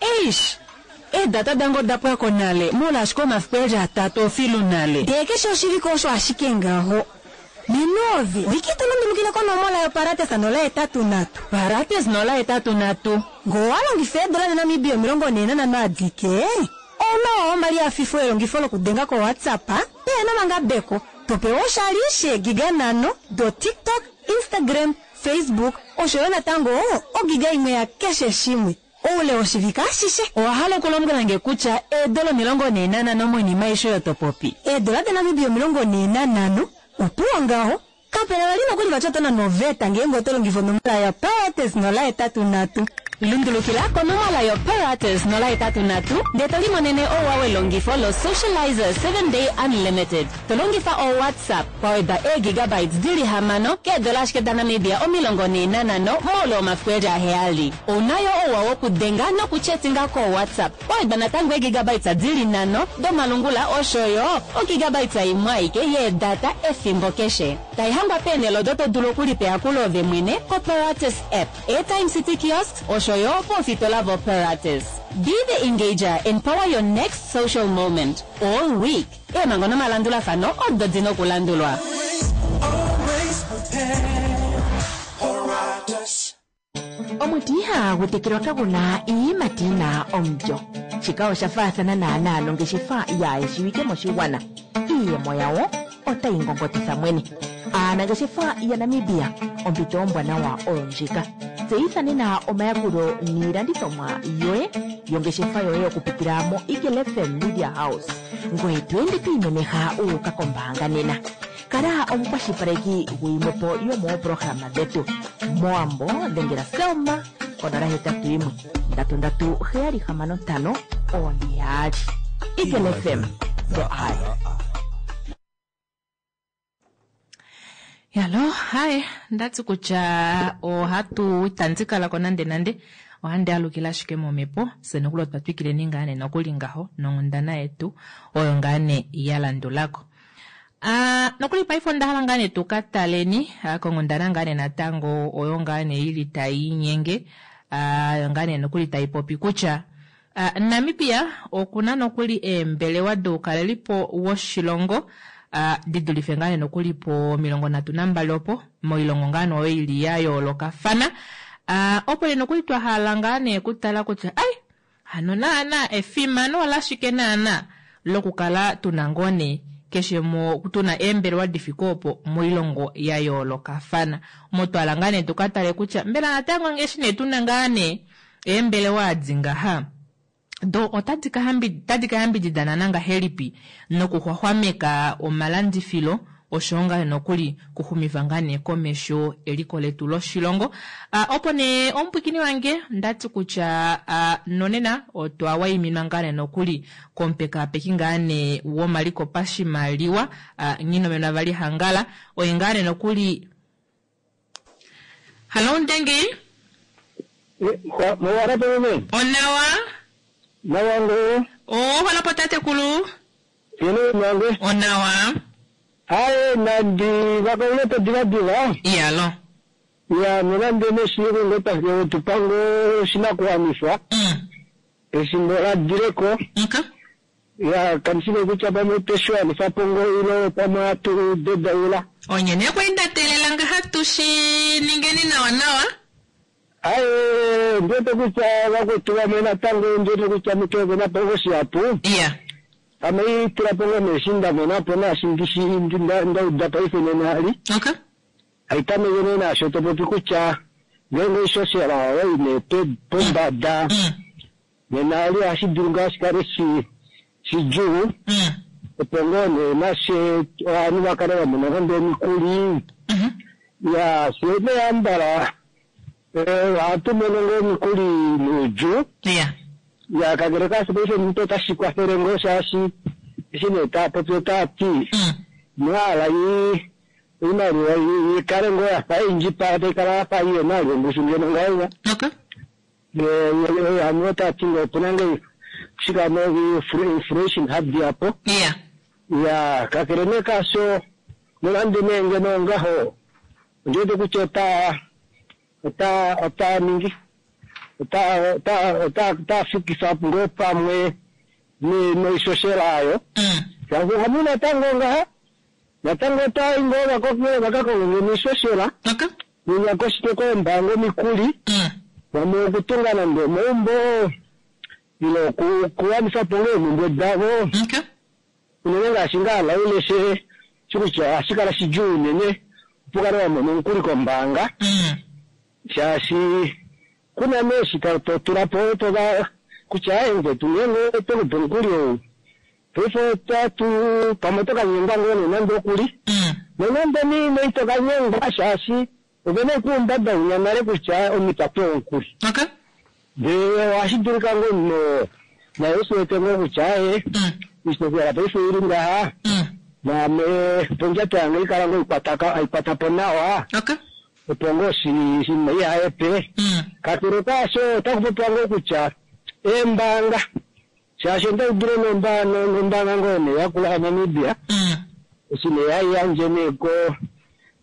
Eish, eedata dange oda pwako nale molwaashi omafiku eli atatu ofilu nale. Ndee keshe oshivike osho ashike ngaho. Nenovi, wiki to lundulukile konomola yoparates nola hetatu nhatu. Parates nola hetatu nhatu. Ngoo walongifa eedola daNamibia omilongo nhee nanhano adike, ouna omali afifo elongifo lokudenga koWhatsApp peena omangabeko. Topewa oshali sheegiga nhano do TikTok, Instagram, Facebook osho yo natango ogiga imwe ya keshe shimwe oule woshivike ashishe. Owa hala okulombwela nge kutya eedola omilongo nhee nanhano moinima aishe oyo topopi? Eedola daNamibia omilongo nhee nanhano opuwo ngaho kapena vali nokuli vati oto nana oveta ngeenge oto longifa onomola yaparates nola hetatu nhatu. Lundulukila konomola yoparates nola hetatu nhatu ndee to limonene ouwa welongifo lo Socializer seven Day Unlimited. To longifa oWhatsApp waweda eegigabytes dili hamano keedola ashike daNamibia omilongo nhee nanhano moule womafiku eli aheyali. Ounayo ouwa wokudenga nokuchetinga koWhatsApp waweda natango eegigabytes dili nhano domalungula osho yo ogigabytes imwe aike yeedata efimbo keshe. Taihangwa peenhele odo to dulu okulipa ove mwene koParates app, Airtime City Kiosks osho yo poofitola voParates. Be the engager and power your next social moment all week. Eemhango nomalandulafano odo dina okulandulwa. Omuti ihagu tekelwa kaguna iiyimati yina omulyo. Shika osha faathana naanaa nongeshefa yaayeshiwike moshigwana. Iiyemo yawo otayi ngongotitha mwene. Aanangeshefa yaNamibia, ompito ombwanawa oyo ndjika. Tseyitha nena omayakulo niilandithomwa yoye yongeshefa yoye okupitila mo Eagle F M Media House, ngoye to ende to imemeha wu uka kombaanga nena. Kala omukwashilipaleki gwiimwepo yomoopolohalama dhetu. Mowambo dhengela Selma konola hetatu yimwe ndatu ndatu heyali hamano ntano one yaali. Eagle F M, the eye. Yalo, haye, ndati kutya ohatu itandi kalako nande nande ohandi alukile ashike momhepo fye nokuli otwa twikileni ngaa nee nokuli ngaho nonghundana yetu oyo ngaa nee ya landulako. Uh, nokuli paife onda hala ngaa nee tuka taleni uh, konghundana ngaa nee natango oyo ngaa nee ili tai inyenge uh, oyo ngaa nee nokuli tai popi kutya uh, Namibia okuna nokuli eembelewa doukalelipo woshilongo uh, di dulife ngaa nee nokuli po milongo nhatu nambali opo moilongo ngaa nee oyo ili ya yoolokafana. Uh, opo nee nokuli twa hala ngaa nee kutala kutya ai hano naana efimano olashike naana lokukala tuna ngoo nee keshe mo tuna eembelewa difike opo moilongo ya yoolokafana. Omo twala ngaa nee tuka tale kutya mbela natango ngeshi nee tuna ngaa nee eembelewa adi ngaha do otadi ka hambi- otadi ka yambididana ngahelipi nokuxwaxwameka omalandifilo oshowo ngaa nokuli kuxumifa ngaa nee komesho eliko letu loshilongo. Uh, opo nee omupwikini wange ndati kutya uh, nonena otwa waiminwa ngaa nee nokuli komupekapeki ngaa nee womaliko pashimaliwa uh, Nghinomenwa Vali Hangala oye ngaa nee nokuli. Halo Ndengi, Mowarapo meme, onawa nawango, oholapo tatekulu ino nange. onawa Aye nandi vakoleta diva diva. iyalo Ya nonande neshiku ngota tupango shinakuwanifwa. mm. Eshimbo ladireko. okay. Ya kanisile kutya pamwe teshiwanifa pongo ilo pamwe atu dedaula. Onyene kwendatelela ngaha tushi ningeni nawa nawa. Aye ndiwete kutya vakwetu vamwe natango ndiwete kutya mutove napongo shihapu. iya Ame itula pongo neshi ndamona po naashi ndishi ndauda paife nenali. okay. Haitameke nee naasho topopi kutya ngeenge oishoshela oyo ine pombada mm. nena ali ohashi dulu ngaa shikale shi shidjuu mm. opo ngoo nee nashe ovanhu vakale vamona nande omikuli mm ya fye neyambala ohatu mono ngoo omikuli nuudjuu iya ya kakele kaasho paife omuntu otashi kwathele ngoo shaashi eshi nee taapopi otaati mm. mwaala yi iimaliwa yikale ngoo yafa indjipala taikala yafa iyena ongushu ngeno ngaiwa okay. hanu otati ngo opuna nge shikano inflation hadi apo iya ya kakele nee kaasho nonande nee ngeno ngaho ondiwete kutya ota ota ota ningi ota ota ota ota fikisa ngoo pamwe noishoshela ayo mm. shaashi hamu natango ngaha natango otai ngoo vako vakakonge niishoshela okay. ninyakoshike koombaanga omikuli mm. vamwe okutunga nande omaumbo ile okuwanifa po ngoo eemhumbwe davo okay. unene ngaashi ngaa lauleshe shikutya ohashi kala shidjuu unene opo kale wamona omukuli kombaanga mm. shaashi kuna nee eshi to tula po tova kutya aye mukwetu ngeenge otwekupa omukuli ou paife otatu pamwe otokanyengwa ngoo nee nande okuli mm. nonande niine itokanyengwa shaashi ovena okuumbada unya nale kutya omuntu apewa omukuli okay. ndee ohashi dulika ngoo no naye usiwete ngoo kutya aye mm. ishoshela paife ili ngaha mm. naame pondjato yange ikala ngoo aikwata po nawa okay. opo ngoo shinima ihayepe mm. kakele kaasho otaku popiwa ngoo kutya eembaanga shaashi ondaudile nombaanga ngoo nee yakula yaNamibia mm. eshi nee haiyandje nee ko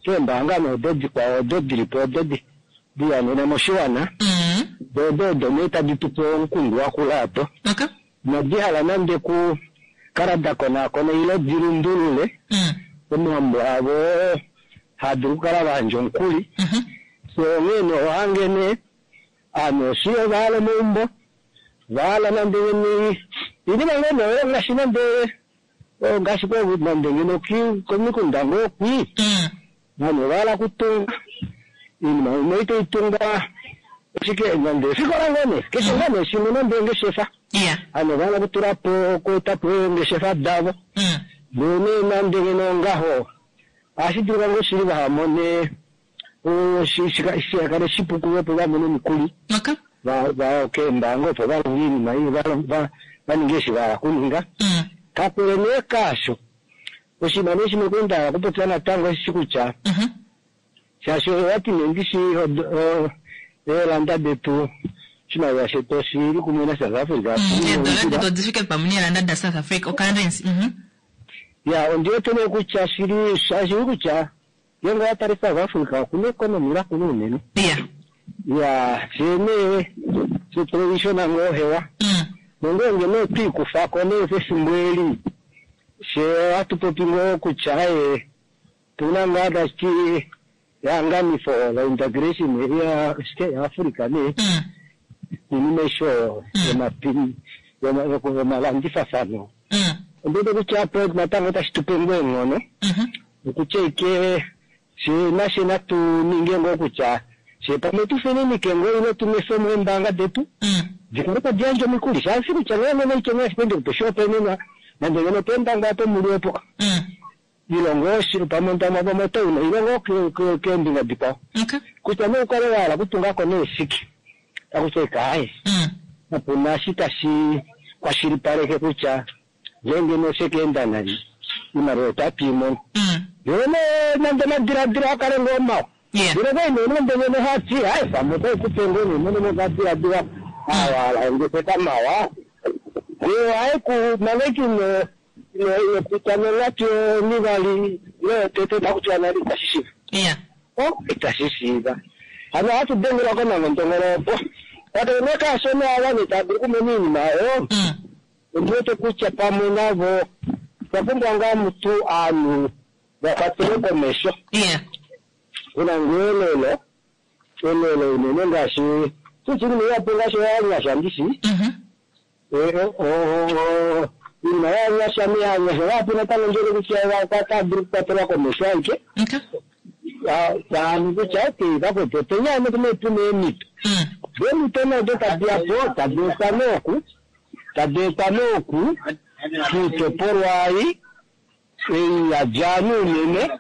keembaanga nee odo dikwao odo dilipo odo diyanena moshiwana mm. do odo odo nee tadi tupe omukundu wakula apo okay. inadi hala nande ku kala da konaakona ile dilundulule mm. omambo avo haadulu okukala vayandja omukuli mm -hmm. so onghee nee ohange nee aanhu oshi ovahala omaumbo vahala nande ngeni inima ngoo nee ngaashi nande ngaashi nande ngeno komikunda ngoo kwi mm. vanhu ovahala okutunga iinima imwe itoitunga ashike nande efikola ngoo nee keshe ngoo nee shimwe nande ongeshefa iya anhu ovahala okutula po okueta po eengeshefa davo mm. ndee nee nande ngeno ngaho ohashi dulika ngoo shili vahamone shikale shipu kuvo opo vamone omikuli okay. va keembaanga opo valonge iinima ei vaninge eshi vahala kuninga mm. kakele nee kaasho oshinima nee shimwe kwali ndahala okupopya natango eshi kutya mm -hmm. Shaashi owati nee ndishi eelanda detu oshimaliwa shetu oshili kumwe naSouth Africa. Eedola detu odifike pamwe neelanda daSouth Africa, ocurrency. Ya, ondi wete nee kutya shili shili kutya ngeenge owa tale South Africa okuna economy lakula unene. Ya. Ya, fyee nee fye tulishona ngoo hewa. Nongeenge nee twiikufako nee pefimbo eli, fyee ohatu popi ngoo kutya ee tuna ngaa tashiti ehanganifo la integration ya shike yaAfrica nee. Iinima aishe oyo yomalandifafano. Ondi wete kutya apo natango otashi tupe ngoo eenghono okutya ashike fyee nashe natu ninge ngoo kutya fyee pamwe tufininike ngoo ile tunwefemo eembaanga detu dikale tadi yandje omikuli, shaashi kutya ngeenge noitya ashike ndikupe oshihopaenenwa nande ngeno peendangwa opo muli opo ilongo pamwe pamwe otouna ilongo keembinga dikwao kutya nee ukale wahala okutungako neeshike takutya ike aaye kapuna eshi tashi kwashilipaleke kutya ngeenge nee oshekeenda nai oimaliwa otatu imono. Ndele nee nande omadiladilo akale ngoo mawa ndele kwali nee nande ngeno hati aaye pamwe otaikupe ngoo nee mwene mokadiladila awahala ongeshefa mawa ndee ohaeku manga ike ino ino pita nonghatu onivali ile yotete takutiwa nale itashi shiiva. Itashi shiiva. Hano ohatu dengelwa komangondongolo opo kakele nee kaasho nee ava nee tava dulu okumona oinima oyo ondi wete kutya pamwe navo otwa pumbwa ngaa mutu ovanhu va kwatele komesho. Kuna ngoo elelo elelo unene ngaashi tuchili nee ngaashi ovanyasha ndishi oinima yovanyasha nee ovanyasha vahapu natango ndiwete kutya otava dulu okukwatelwa komesho aike taanu kutya okay vakwetu openi hano tuna eemhito eemhito nee odo tadi yapo tadi etwa nooku tadi etwa nooku kiitopolwa ei ei yadja ovanhu unene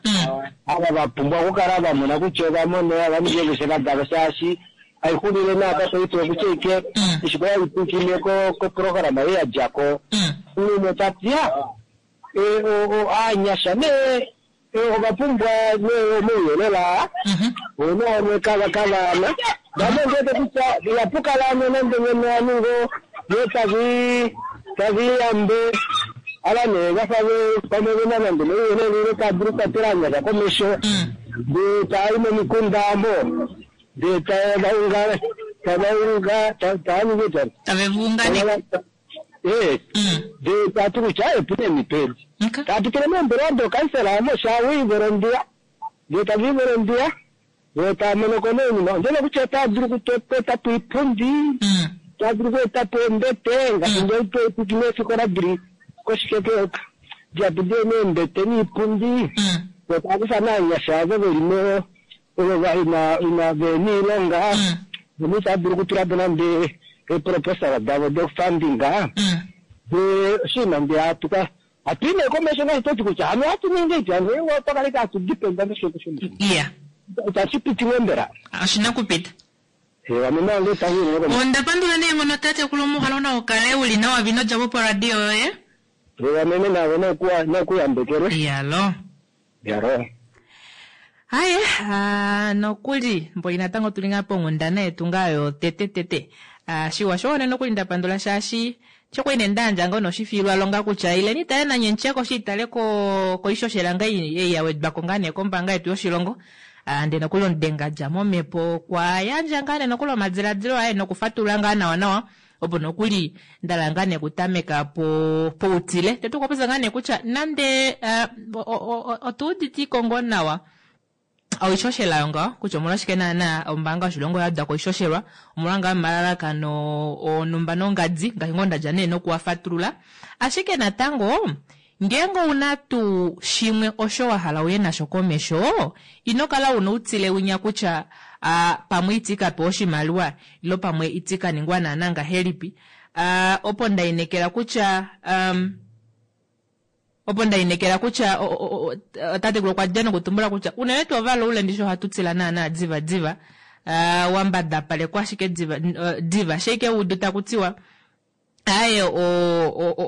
ava vapumbwa okukala vamona kutya ovamona ova ninga eengeshefa davo shaashi aixulile naapa paife okutya ike eshi kwali haipwiikine koprograma ei yadjako umwe tati ya ovanyasha nee ovapumbwa nee omauyelele aa oona kava kavaana vamwe ndiwete kutya ihapukala ano nande ngeno ovanhu ngoo ngee tavi taviyambe ava nee vafa pamwe vena nande omauyelele ile tava dulu okukwatela ovanyasha komesho ndee taayi momikunda omo ndee tavaunga tavaunga tavaningi Tavevuunganeke. ee ndee tati kutya opuna eemhito edi tapitile meembelewa dookansela omo shaawiivolondiya ndee taviivolondiya voo taamonoko nee oinima ondjele kutya otava dulu okuetapo oipundi otava dulu okuetapo eembete ngaashi ngeipiki meefikola dili koshikeke dihapu diye neembete niipundi voo tava kufa naanyasha ovo veli mo ovo ina ina vena oilonga vamwe itava dulu okutulapo nande eeproposal davo dofunding ndee oshinima ndee hatuka hatuyi nee komesho ngaashi toti kutya hano ohatu ningi iti hano otwakaleka hatu dependa moshilongo shomo iya itashi piti ngoo mbela oshina kupita. Ame nange itashi Onda pandula neenghono tatekulu omuhalo nawa ukale uli nawa vino djapo poradio yoye. Amene nawe nokuyambekelwe. Yalo. Yalo. Haye, nokuli mboli natango tuli ngaa ponghundana yetu ngaa yo tete tete. Shiwa sho nokuli ndapandula shaashi shokwali nee ndayandja ngoo noshifiilwa longa kutya ileni tale nanye ntyeko shi itale ko koishoshela nga ei yawedwako ngaa nee kombaanga yetu yoshilongo. Ndee nokuli omudenga dja momhepo okwa yandja ngaa nee nokuli omadiladilo aye nokufatulula ngaa nawa nawa opo nokuli ndala ngaa nee okutameka po poutile. Tete okwa ngaa nee kutya nande otuuditiko ngoo nawa oishoshela yo ngaho kutya omolwashike naana ombaanga yoshilongo ya wedwa ko oishoshela omolwa ngaa omalalakano onumba nongadi ngaashi ngoo ndadja nee nokuwafatulula. Ashike natango ngeenge ouna tuu shimwe osho wahala uye nasho komesho ino kala una outile winya kutya pamwe iti kapewa oshimaliwa ilo pamwe iti kaningwa naana ngahelipi. Opo ndainekela kutya opo ndainekela kutya tatekulu okwa dja nokutumbula kutya unene tuu ovalaule ndishi ohatu tila naana diva diva wambadapalekwa ashike diva diva sheike udu takutiwa aaye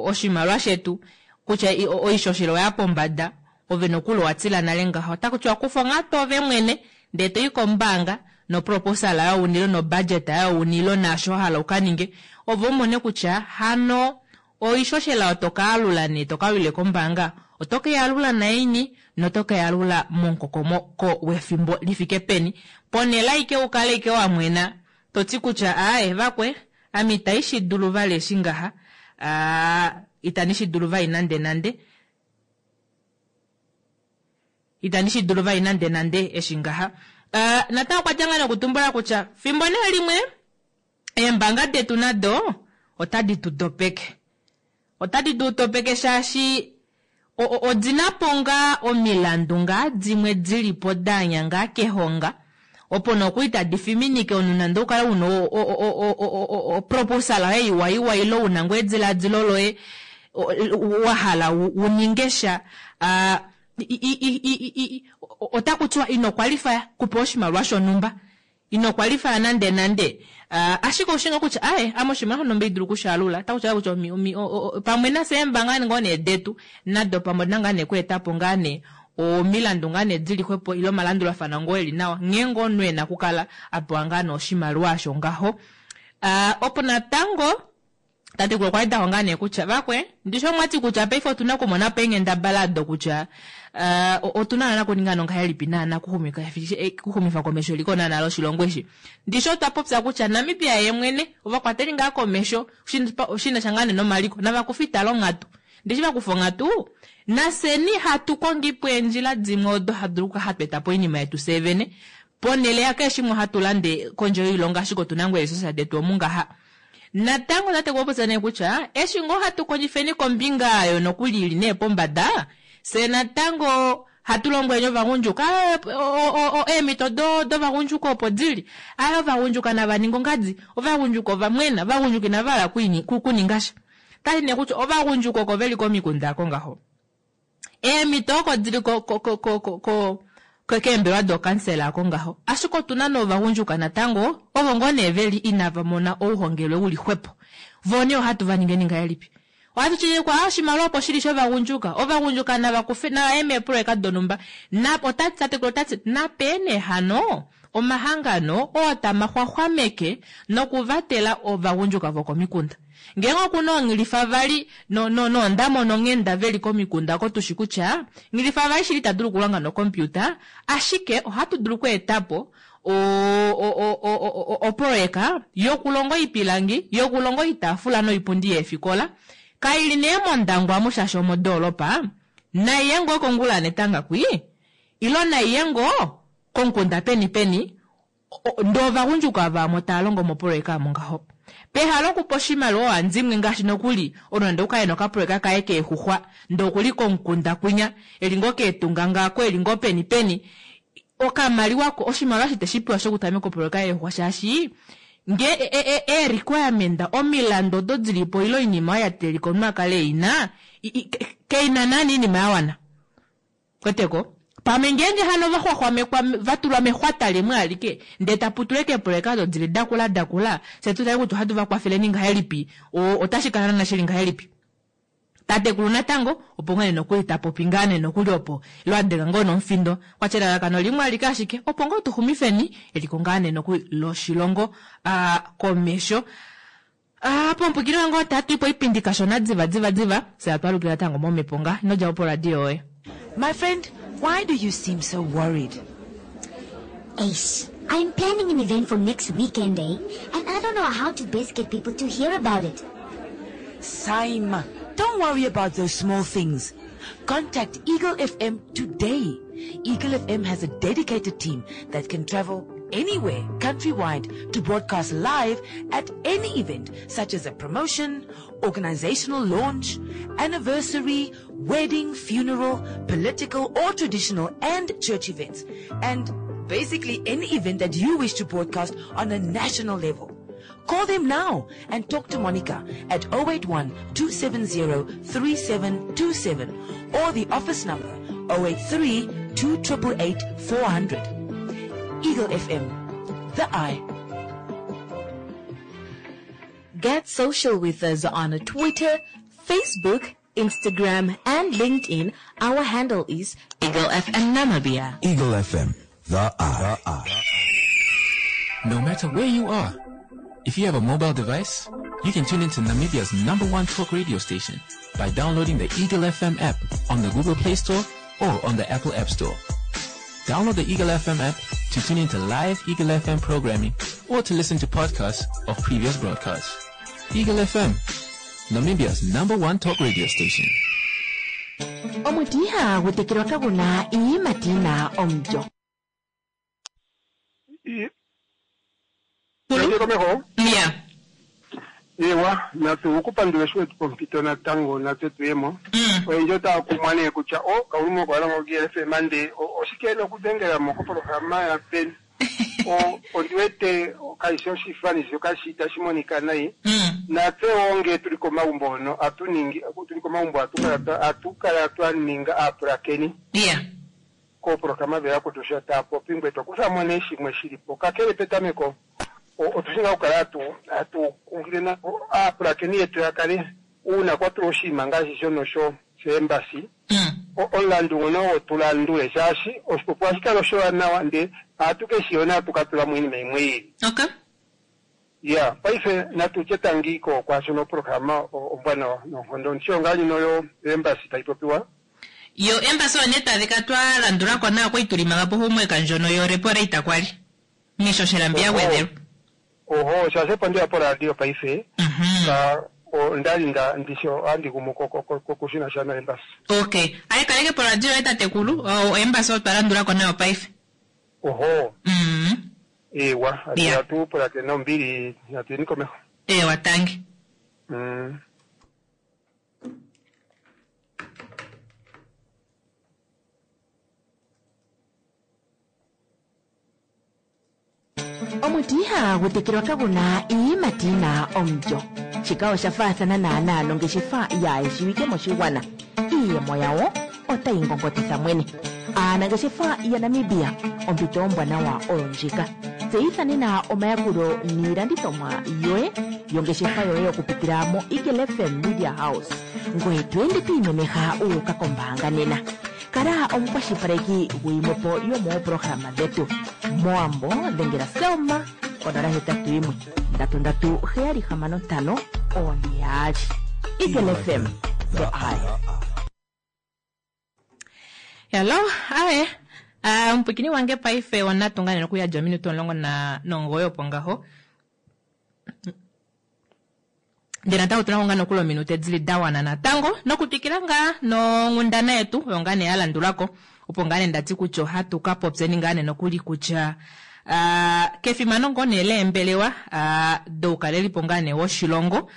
oshimaliwa shetu kutya oishoshela oya pombada ove nokuli owatila nale ngaho otakutiwa kufa onghatu ove mwene Ndee toyi kombaanga noproposal oyo unilo nobudget oyo unilo naasho wahala ukaninge ove umone kutya hano oishoshela oyo tokaalula nee tokalulile kombaanga oto keyalula naini noto keyalula momukokomoko wefimbo lifike peni ponele aike ukale ike wamwena toti kutya aaye vakwe ame ita shidulu vali eshi ngaha aa itandi shidulu vali nande nande itandi shidulu vali nande nande eshi ngaha uh, natango okwa dja ngaa nokutumbula kutya fimbo nee limwe eembanga detu nado otadi tu dopeke otadi tu dopeke shaashi odina po ngaa omilandu ngaa dimwe dilipo daanya ngaa kehonga opo nokuli tadi fiminike omunhu nande ukale una oproposal yoye iwa iwa ile una ngoo ediladilo loye wahala uninge sha otakutiwa ino kwalifaya kupewa oshimaliwa shonhumba ino kwalifaya nande nande ashike oushi kutya aye ame oshimaliwa shonhumba idulu okushaalula otakutiwa kutya pamwe nafye eembanga ngoo nee detu nado pamwe odina ngaa nee okweetapo ngaa nee omilandu ngaa nee dili xwepo ile omalandulafano ngoo eli nawa nghee ngoo omunhu ena okukala apewa ngaa nee oshimaliwa osho ngaho. Opo natango tatekulu okwa wedako ngaa nee kutya vakwe ndishi omwati kutya paife otuna okumonapo eenghendabala dokutya otuna naana okuninga nongahelipi naana okuxumifa komesho eliko naana loshilongo eshi. Ndishi otwa popya kutya Namibia yeemwene ovakwateli ngaa komesho shinasha ngaa nee nomaliko navakufe itala onghatu. Ndishi vakufa onghatu nafyeni hatu kongipo eendjila dimwe odo hatu dulu hatu etapo oinima yetu fyee vene ponele yakeshe shimwe hatu lande kondje yoilongo ashike otuna ngoo eeresource detu omu ngaha. Natango tatekulu okwa popya nee kutya eshi ngoo hatu kondjifeni kombinga oyo nokuli ili nee pombada fye natango hatu lombweleni ovagundjuka eemhito dovagundjuka opo dili aye ovagundjuka navaninge ongadi ovagundjuka ovamwena ovagundjuka inavahala kuningasha tati nee kutya ovagundjuka oko veli komikunda ako ngaho eemhito oko dili keembelewa dokansela ako ngaho ashike otuna novagundjuka natango ovo ngoo nee veli inava mona ouhongelwe uli xwepo voo nee ohatu vaningeni ngahelipi ohatu tile oshimaliwa opo shili shovagundjuka ovagundjuka navakufe navaye meeproyeka donhumba otati tatekulu otati nape nee hano omahangano oo tamaxwaxwameke nokuvatela ovagundjuka vokomikunda ngeenge okuna oonghilifa vali noondamo nonghenda veli komikunda oko tushi kutya nghilifa vali shili ita dulu okulonga nokompiuta ashike ohatu dulu okweetapo oproyeka yokulonga oipilangi yokulonga oitaafula noipundi yeefikola kaili nee mondangwa amu shaashi omodoolopa naiye ngoo kongula netanga kwi ilo naiye ngoo komukunda peni peni ndee ovagundjuka vamwe tava longo moproyeka omo ngaho pehala okupa oshimaliwa ohandimwe ngaashi nokuli omunhu nande okukale nokaproyeka kaye keexuxwa ndee okuli komukunda kwinya eli ngoo keetunga ngaako eli ngoo peni peni okamaliwa oshimaliwa eshi teshipewa shokutameka oproyeka yeexuxwa shaashi nge ee-requirement omilandu odo dilipo ile oinima oyo yateelelika omunhu akale eina keina naana oinima yawana kweteko pamwe ngeenge hano vaxwaxwamekwa vatulwa mexwata limwe alike ndee taputulwe keeproyeka odo dili dakula dakula fye tutale kutya ohatu vakwafeleni ngahelipi otashi kala naana shili ngahelipi tatekulu natango opo ngoo nee nokuli tapopi ngaa nee nokuli opo ile adenga ngoo nomufindo kwatya elalakano limwe alike ashike opo ngoo tuxumifeni eliko ngaa nee nokuli loshilongo komesho. Pomupwikini wange otatu ipo oipindi kashona diva diva diva fye atwalukila natango momhepo nga inodjapo poradio yoye. My friend, why do you seem so worried? Ace, I'm planning an event for next weekend, eh? And I don't know how to best get people to hear about it. Saima, don't worry about those small things. Contact Eagle F M today. Eagle F M has a dedicated team that can travel anywhere countrywide to broadcast live at any event such as a promotion, organizational launch, anniversary, wedding, funeral, political or traditional and church events, and basically any event that you wish to broadcast on a national level. Call them now and talk to Monica at oh eight one, two seven zero, three seven two seven or the office number oh eight three, two triple eight, four hundred. Eagle F M, the eye. Get social with us on Twitter, Facebook, Instagram, and LinkedIn. Our handle is Eagle F M Namibia. Eagle F M, The Eye. No matter where you are, if you have a mobile device, you can tune into Namibia's number one talk radio station by downloading the Eagle F M app on the Google Play Store or on the Apple App Store. Download the Eagle F M app to tune into live Eagle F M programming or to listen to podcasts of previous broadcasts. Eagle F M, Namibia's number one talk radio station. Omuti ihagu tekelwa kagu na iiyimati yi na omulyo. Komeho. Ya. Ewa, natu kupandula eshi wetu pompito natango natse tuyemo. Oyendji otaya kumwa nee kutya o kaulumo okwa longo G F M nde oshike nokudhengela mo kopolohalama ya peni. O ondi wete kayishi oshifani shoka shi tashi monika nayi. Natse wo nge tuli komagumbo hono atu ningi tuli komagumbo atu kala atu kala twa ninga aapulakeni. Ya. Koopolohalama dheya sho taya popi ngwe to kutha mo nee shimwe shili po. Kakele petameko otu shi ngaa okukala atu atu kunkilile aapulakeni yetu ya kale uuna kwa tulwa oshinima ngaashi shono sho shoembasi omulandu ngono ogo tu landule shaashi oshipopiwa ohashi kala oshiwanawa nde ohatu ke shi yona hatu ka tula mo iinima yimwe yi ili. Okay. Ya, paife natu tye tangi ko kwaashono opolohalama ombwanawa noonkondo ndishi ngaa ndjino yo embassy tayi popiwa. Yo embassy oyo nee tadhika twa landula ko nayo kwali tuli manga po homework ndjono yo repo rate kwali miishoshela mbi ya gwedhelwa. Oho, shaashi opo ndeya poradio paife ka ondali nda ndishi ohandi gumu ko shinasha na embassy. Okay, aye kaleke poradio yoye tatekulu, o embassy otwa landula ko nayo paife. Oho. Mm. Ewa, Yeah. atu pulakene nombili, natuyeni komeho. Ewa, tangi. Mm. Omuti ihagu tekelwa kagu na iiyimati yi na omulyo. Shika osha faathana naanaa nongeshefa yaayeshiwike moshigwana. Iiyemo yawo otayi ngongotitha mwene. Aanangeshefa yaNamibia, ompito ombwanawa oyo ndjika. Tseyitha nena omayakulo niilandithomwa yoye yongeshefa yoye okupitila mo Eagle F M Media House. Ngoye to ende to imemeha wu uka kombaanga nena. Kala omukwashilipaleki guyimwepo yomoopolohalama dhetu. Mowambo dhengela Selma konola hetatu yimwe ndatu ndatu heyali hamano ntano one yaali. Eagle F M, the eye. Hello, aye. Uh, omupwikini wange paife onatunga nene okuyadja ominute omulongo na nomugoyi opo ngaho. Ndele natango otuna ngaa nokuli ominute dili da wana natango nokutwikila ngaa nonghundana yetu oyo ngaa nee ya landulako opo ngaa nee ndati kutya ohatu ka popyeni ngaa nee nokuli kutya uh, kefimano ngoo nee leembelewa uh, doukalelipo ngaa nee woshilongo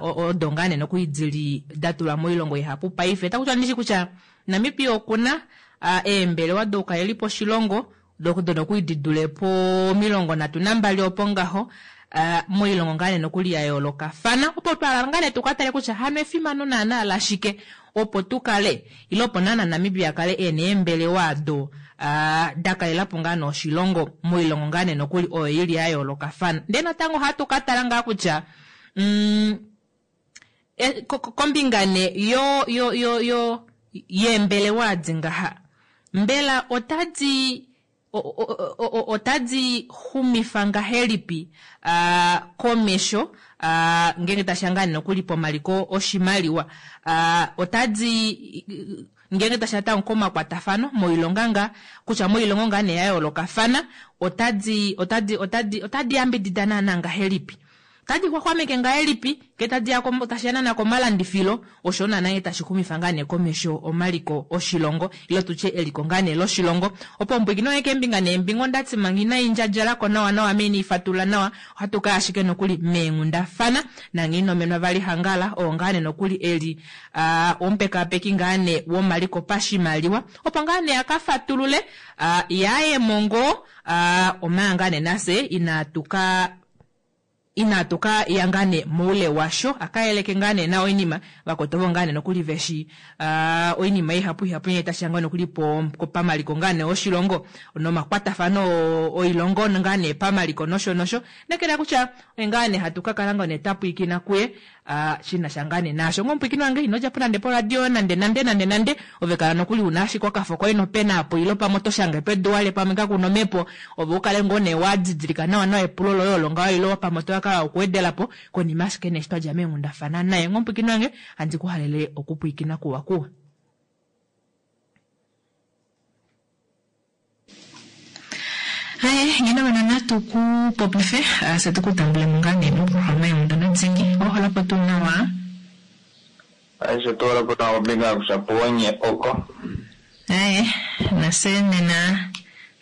uh, odo ngaa nee nokuli dili da tulwa moilongo ihapu paife taku ndishi kutya Namibia okuna uh, eembelewa doukalelipo oshilongo dono nokuli di dule po omilongo nhatu nambali opo ngaho uh, moilongo ngaa nee nokuli ya yoolokafana opo twala ngaa nee tukatale kutya hano efimano naana lashike opo tukale ile opo naana Namibia kale ena eembelewa do uh, dakalelapo ngaa nee oshilongo moilongo ngaa nee nokuli oyo ili ya yoolokafana. Ndee natango ohatu katala ngaa kutya mm, e, kombinga ne yo yo yo yo yeembelewa adi ngaha mbela otadi otadi xumifa ngahelipi uh, komesho uh, ngenge tashiya ngaa nokuli pomaliko oshimaliwa uh, otadi ngenge tashiya tango komakwatafano moilonga nga kutya moilongo ngaa nee ya yoolokafana otadi otadi otadi otadi yambidida naana ngahelipi tadi xwaxwameke ngahelipi ngee tadi ya tashiya naana komalandifilo osho naana nghee tashi xumifa ngaa nee komesho omaliko oshilongo ile tutye eliko ngaa nee loshilongo opo ombwikino yoye keembinga neembinga ondati manga inayi ndjadjalako nawa nawa meni ifatulula nawa ohatu kaya ashike nokuli meenghundafana nanghee vali hangala oo ngaa nee nokuli eli uh, omupekapeki ngaa nee womaliko pashimaliwa opo ngaa nee akafatulule uh, yaayemo ngoo uh, omanga ngaa nee nafye inatuka inatuka ya ngaa nee moule washo akayeleke ngaa nee nawa oinima vakotovo ngaa nee nokuli veshi uh, oinima ihapu ihapu nghee tashiya ngaa nokuli po pamaliko ngaa nee oshilongo nomakwatafano oilongo ngaa nee pamaliko nosho nosho nekela kutya oye ngaa nee hatu kakala ngaa nee twapwiikina kuye uh, shinasha ngaa nee naasho ngomupwiikini wange ino djapo nande poradio nande nande nande nande ove kala nokuli una ashike okafo koye nopena apo ilo pamwe oto shange pedu wale pamwe kakuna omhepo ove ukale ngoo nee wadidilika nawa nawa epulo loye olo ngaho ilo pamwe otokakala okuwedelapo konima ashike nee eshi twadja meenghundafana naye ngomupwiikini wange handi kuhalele okupwiikina kuwa kuwa. Haye ngeno wena natu kupopife uh, se tukutambule mo ngaa nee moprograma yonghundana dhingi oholapo tuu nawa. Aishe tuwalapo nawa ombinga yakushapuonye oko. Aye nase nena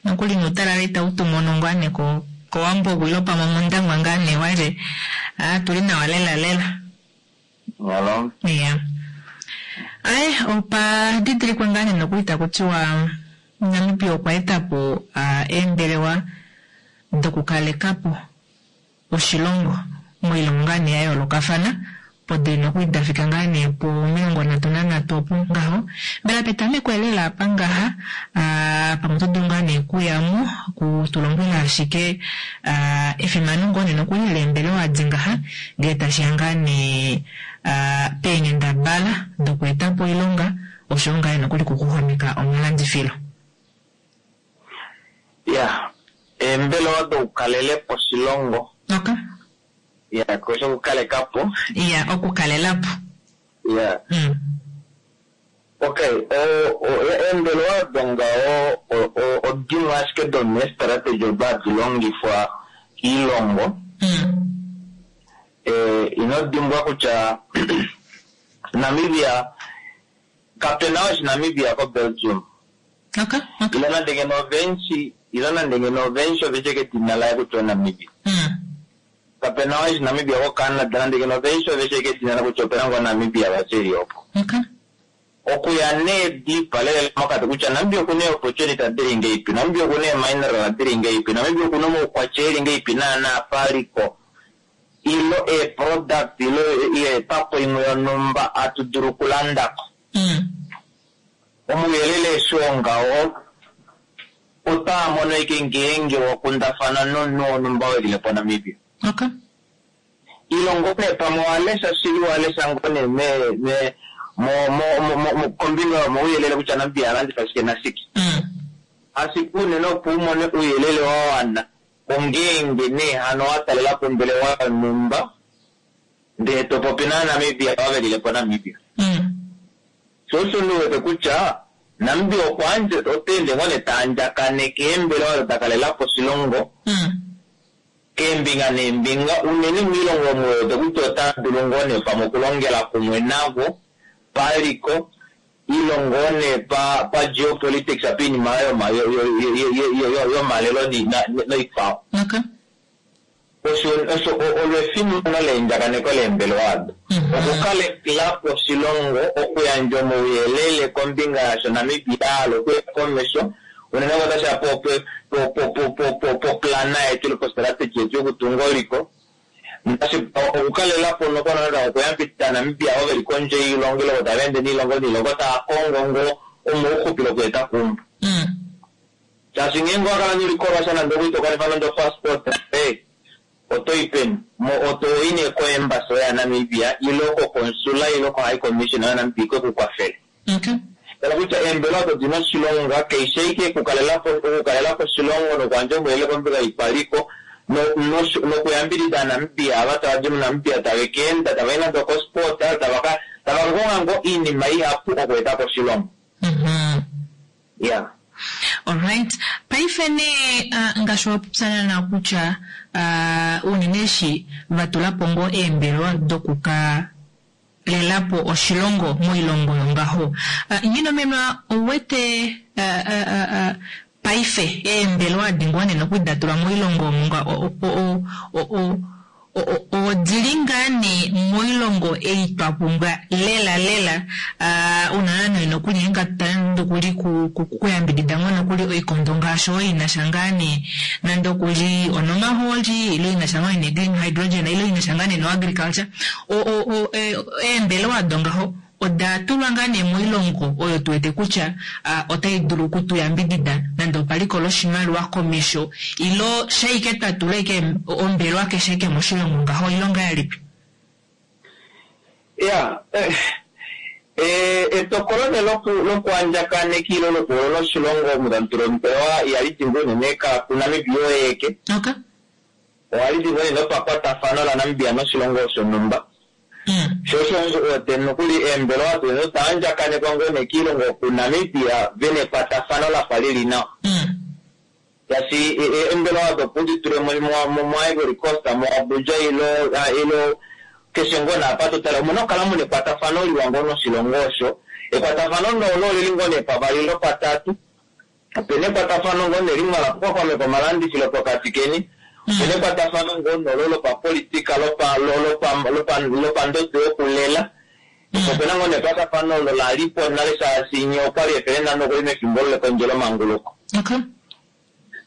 nokuli nuutalala itau tu mono ngaa nee ko kowambo ilo pamwe mondangwa ngaa nee wale ah, tuli nawa lela lela. Nyalo. Iya. Aye opa didilikwe ngaa nee nokuli taku tiwa Namibia okwa etapo uh, eembelewa dokukalekapo oshilongo moilongo ngaa nee ya yoolokafana po dili nokuli dafika ngaa nee po omilongo nhatu nanhatu opo ngaho. Mbela petameko lela apa ngaha uh, pamwe oto dulu ngaa nee kuyamo kutulombwela ashike uh, efimano ngoo nee nokuli leembelewa adi ngaha ngee tashiya ngaa nee uh, peenghendabala dokweetapo oilonga oshoyo ngaa nee nokuli kuxuxwameka omalandifilo. Ya, eembelewa dokukalelepo oshilongo. Okay. Ya, kosho okukalekapo. Ya, okukalelapo. Ya. Mm. Okay, o- o- eembelewa odo ngaho o- o- odimwe ashike domeestrategy odo hadi longifwa kiilongo. Mm. Eh, ino dimbwa kutya Namibia kapena oshinamibia koBelgium. Okay, okay. Ilo nande ngeno ovenshi, ilo nande ngeno ovenshi oveshe kedina laye kutya oNamibia. Mm. Kapena oshinamibia koCanada nande ngeno ovenshi oveshe kedina laye kutya opena ngoo Namibia vashili opo. Okay. Okuya nee deep lela mokati kutya Namibia okuna ee-opportunity dili ngeipi, Namibia okuna ee-mineral dili ngeipi, Namibia okuna omaukwatya eli ngeipi naana paliko ilo ee-product ilo yeetapo imwe yonumba atu dulu okulandako. Mm. Omuyelele eshi ongaho otaa mono ike ngeenge wakundafana nomunhu wonhumba welilepo Namibia. Okay. Ilongo nee pamwe owalesha shili walesha ngoo nee me me mo mo mo- mo kombinga yomauyelele kutya Namibia alandifa shike nashike. Mm. Ashike unene opo umone ouyelele wa wana ongeenge nee hano watalelapo ombelewa yonhumba ndee topopi naNamibia ava velilepo Namibia. Mm. Sho osho ndiwete kutya Namibia okwa andje otaende ngoo nee taandjakaneke eembelewa odo dakalelapo oshilongo Mm. keembinga neembinga unene moilongo omo wete kutya ota dulu ngoo nee pamwe okulongela kumwe navo paliko ilo ngoo nee pa pa geopolitics apa iinima yoma- yo- yo- yo- yo- yo- yo- yomalelo ni- na- noikwao. Okay. Osho osho olo efimano leendjakaneko leembelewa ado. Mm-hmm. Okukalelapo oshilongo, okuyandja omauyelele kombinga yasho Namibia hala okuya komesho unene ngoo otashiya po po po po po po poplana yetu ile postrategy yetu yokutunga oliko. Ngaashi okukalelapo nokonana okuyambidida Namibia ovo veli kondje yoilongo ile tava ende niilongo niilongo tava kongo ngoo omauxupilo okueta kumba. Mm. Shaashi ngeenge owakala nolikolwa sha nande okuli tokanifa nande opassport eh, otoyi peni otoyi nee koembassy yaNamibia ilo kokonsula ilo ko high commission yaNamibia ike kukwafele. Okay. Tala kutya eembelewa odo dina oshilonga keshe ike okukalelapo okukalelapo oshilongo nokuyandja omauyelele kombinga yoipaliko no- nosho- nokuyambidida Namibia ava tava di muNamibia tave keenda tava i nande okosport tava ka tava kakonga ngoo iinima ihapu okuetapo oshilongo. Mhm. Ya. Alright. Paife nee uh, ngaashi wapopya nawa kutya uh, unene eshi vatulapo ngoo eembelewa dokuka lelapo oshilongo moilongo yongaho. Uh, Nghinomenwa ouwete uh, uh, uh, uh, paife eembelewa adi ngoo nee nokuli datulwa moilongo omo nga o- o- o- o- o- o- odili ngaa nee moilongo ei twa pumbwa lela lela uh, unene nee nokuli ngatutale nokuli kuyambidida ngoo nokuli oikondo ngaashi oyo inasha ngaa nee nande okuli onomahooli ilo inasha ngoo nee green hydrogen ilo inasha ngaa nee no agriculture o, o, o, e, eembelewa ado ngaho oda tulwa ngaa nee moilongo oyo tuwete kutya uh, otai dulu okutuyambidida nande opaliko loshimaliwa komesho ilo shaike twa tula ike ombelewa keshe ike moshilongo ngaho ilonga yalipi. Ya, eh, eh, etokolo ne loku- lokuandjakaneka ile lokuholola oshilongo omudantulo ombelewa ihali di ngoo unene kakunamibia oyeke. Okay. Ohali di ngoo unene pakwatafano laNamibia noshilongo shonhumba. Sho osho ote nokuli eembelewa dino daandjakanekwa ngoo nee kiilongo kuNamibia vena ekwatafano lafa lili nawa. Shaashi e- e- eembelewa dopo ditule mo- mo- mo Ivory Coast, mo Abuja ilo ah, ilo keshe ngoo naapa totala omuna okukala muna ekwatafano liwa ngoo noshilongo osho. Ekwatafano nolo olili ngoo nee pavali lopatatu. Opena ekwatafano ngoo nee limwe lakuxwaxwameka omalandifilo pokati keni. Opena ekwatafano ngoo nolo lopapolitika lopa lo- lopa lopa lopandodo yokulela. Opena ngoo nee ekwatafano olo lalipo nale shaashi nye okwali efele nano okuli mefimbo lekondjelo manguluko. Okay.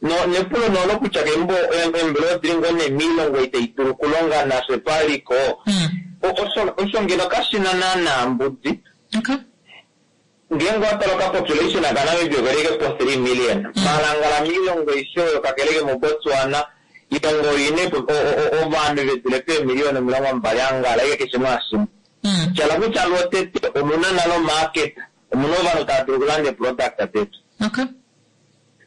No nepulo nolo kutya kembo eembelewa odili ngoo nee miilongo itayi dulu okulonga nafye paliko. O- osho osho ngeno kashina naana mbudi. Okay. Ngeenge watala okapopulation kaNamibia okeleke po three million. Malangala miilongo aishe oyo kakeleke moBotswana ilongo oine po- o- o- o- ovanhu vedule peemiliyona omilongo mbali angala ike keshe mwashimwe. Shala kutya lwotete omuna nalo market omuna ovanhu tava dulu okulanda eproduct detu. Okay.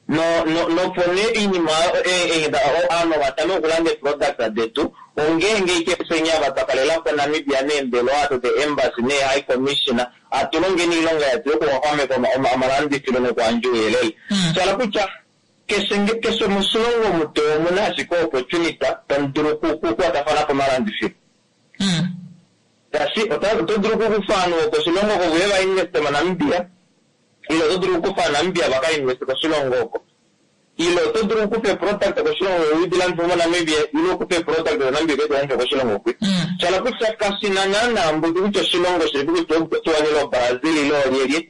No no nopo nee iinima ovanhu vatame okulanda eproduct detu ongeenge ike fyenya twakalelapo Namibia neembelewa ado the embassy nee high commissioner atulongeni iilonga yetu yokuxwaxwameka oma- oma- omalandifilo nokuandja ouyelele. Shala kutya keshe nge- keshe moshilongo mutu omuna ashike opportunity tamu dulu oku- oku- okukwatafana pomalandifilo. Shaashi ota oto dulu okukufa ovanhu vokoshilongo oko vuye vainveste moNamibia ile oto dulu okukufa ovanamibia vakainveste koshilongo oko. Ile oto dulu okukufa eproduct koshilongo udilandife moNamibia ile okukufa eproduct moNamibia ukedilandife koshilongo kwi. Shala kutya kashina naana mbudi kutya oshilongo shilipi kutya oBotswana ile oBrazil ile olyelye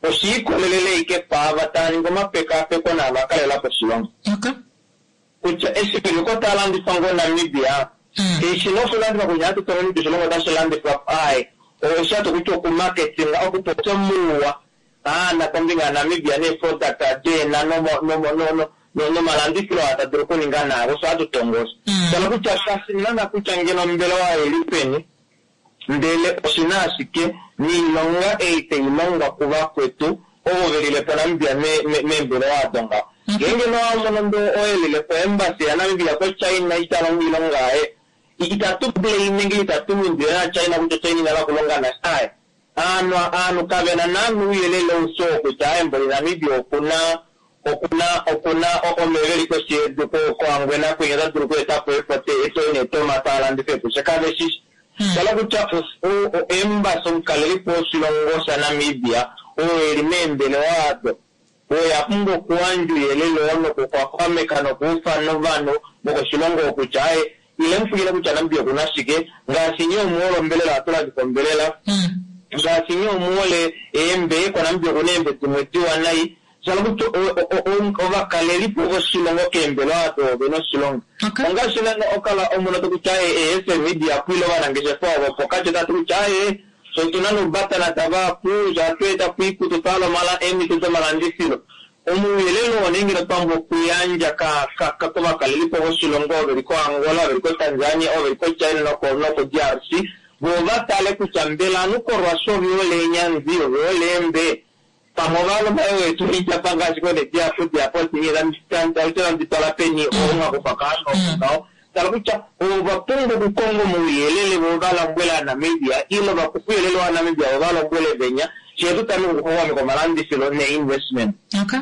oshiikolelele ike paava tava ningi omapekapeko naava kalelapo oshilongo. Okay. Kutya eshi peliko talandifa ngoo Namibia eshi noshilandifwa kutya hatu tole kutya oshilongo otashi landifwa aye oshato kutya okumarketinga okupopya muuwa aana kombinga yaNamibia neeproduct deena nomo- nomo- no- no- no- nomalandifilo aa tadulu okuninga naako osho hatu tongo osho. Shala kutya kashina kutya ngeno ombelewa oili peni ndele oshina ashike niilonga ei tayi longwa kuvakwetu ovo velilepo Namibia me- me- meembelewa ado ngaho. Ngeenge nowamono ndo oyelilepo embassy yaNamibia koChina italongo iilonga yaye itatu blame nenge itatu lundile naChina kutya China inala okulonga nasha aye. Aanhu aanhu kavena naana ouyelele aushe oo kutya aye mboli Namibia okuna okuna okuna omeva eli koshi yedu ko- koHangwena kwinya ota dulu okweetapo epote neetomata alandife epushe kaveshishi. Shala kutya o- o- embassy omukalelipo woshilongo shaNamibia oo eli meembelewa ado oya pumbwa okuyandja ouyelele oo nokuxwaxwameka nokuufana ovanhu vokoshilongo kutya aye ile mufukile kutya Namibia okuna shike ngaashi nye omuhole ombelela ohatu landifa ombelela ngaashi nye omuhole eembe koNamibia okuna eembe dimwe diwa nai shala kutya o- o- o- ovakalelipo voshilongo keembelewa ado ovena oshilongo. Ongaashi nana okala omunhu to kutya aye e-S media kwile ovanangeshefa ovo pokati otatu kutya aye so otuna noubatana tavapu shatweeta kuikutu twala omala eemhito domalandifilo. Omauyelele oo nee ngeno twambo okuyandja ka- ka- ka- kovakalelipo voshilongo ovo veli koAngola, veli koTanzania, ovo veli koChina noko noko D R C vo vatale kutya mbela anu koRussia ovihole eenyanzi ovihole eembe pamwe ovaloma wetu ityapa ngaashi konediapo diapo tanditwala peni omwakufa kaanhu tala kutya ova pumbwa okukonga omauyelele vo valombwele aNamibia ile vakufa ouyelele waNamibia vo valombwele venya shetu tameke okuxwaxwameka omalandifilo ne-investment. Okay.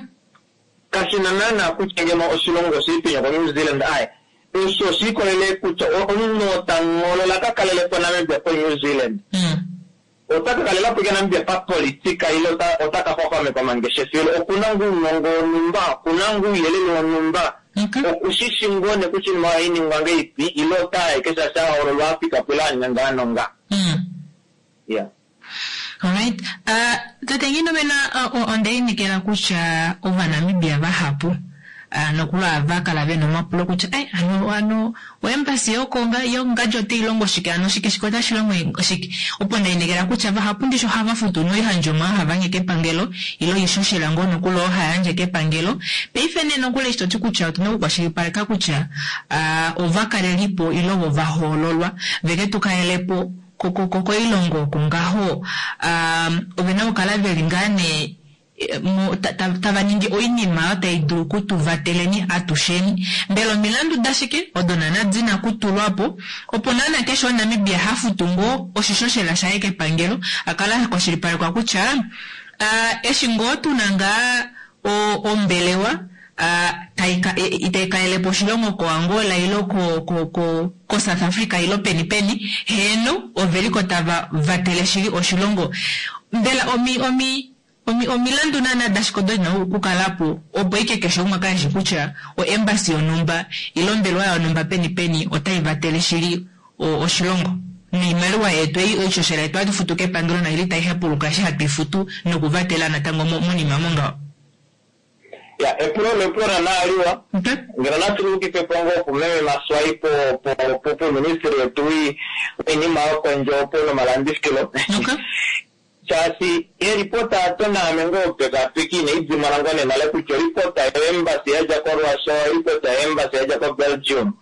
Kashina naana kutya ngeno oshilongo oshili penya koNew Zealand aye osho oshiikolele kutya o- omunhu oo tangolola kakalelepo Namibia koNew Zealand ota ka kalelapo ike Namibia papolitika ile ota ota ka xwaxwameka omangeshefelo okuna ngoo ounongo wonhumba okuna ngoo ouyelele wonhumba okushishi ngoo nee kutya oinima ohayi ningwa ngahelipi ile otaya ike shaashi ahoololwa afika po ile aninga ngaa nonga. Yeah. Alright. Uh, tate Nghidomena uh, onda inekela kutya ovanamibia vahapu uh, nokuli ava kala vena omapulo kutya ai ano ano oembasi yokonga yongadji otayi longo shike ano shike shike otashi longo shike opo ndainekela kutya vahapu ndishi ohava futu noihandjomwa hava nye kepangelo ile oishoshela ngoo nokuli oo hayandje kepangelo paife nee nokuli eshi toti kutya otuna okukwashilipaleka kutya uh, ovakalelipo ile ovo vahoololwa veke tu kalelepo koilongo oko ngaho ove na okukala veli ngaa nee tava ningi oinima oyo tai dulu kutuvateleni atusheni. Mbela omilandu dashike odo naana dina kutulwapo opo naana keshe omuNamibia hafutu ngoo oshishoshela shaye kepangelo akale akwashilipalekwa kutya eshi ngoo tuna ngaa ombelewa itai kalelepo oshilongo koAngola ilo ko South Africa ilo peni peni, heeno oveliko tava vatele shili oshilongo. Mbela omi omi omilandu naana dashike odo dina okukalapo opo ike keshe umwe akale eshi kutya oembassy yonhumba ile ombelewa yonhumba peni peni otai vatele shili oshilongo noimaliwa yetu ei oishoshela yetu hatu futu kepangelo naili tai hepuluka eshi hatu ifutu nokuvatela natango monima mongaho. Ya, epulo lepulo nanaaliwa ngeno natulukife po ngoo kumeme Maswai po po po ministry yetu wiinima yokondje opo nomalandifilo. Shaashi eripota ato naame ngoo pekapeki inaidimana ngoo nenale kutya oripota yoembasy yadja koRussia, oripota yoembasy yadja koBelgium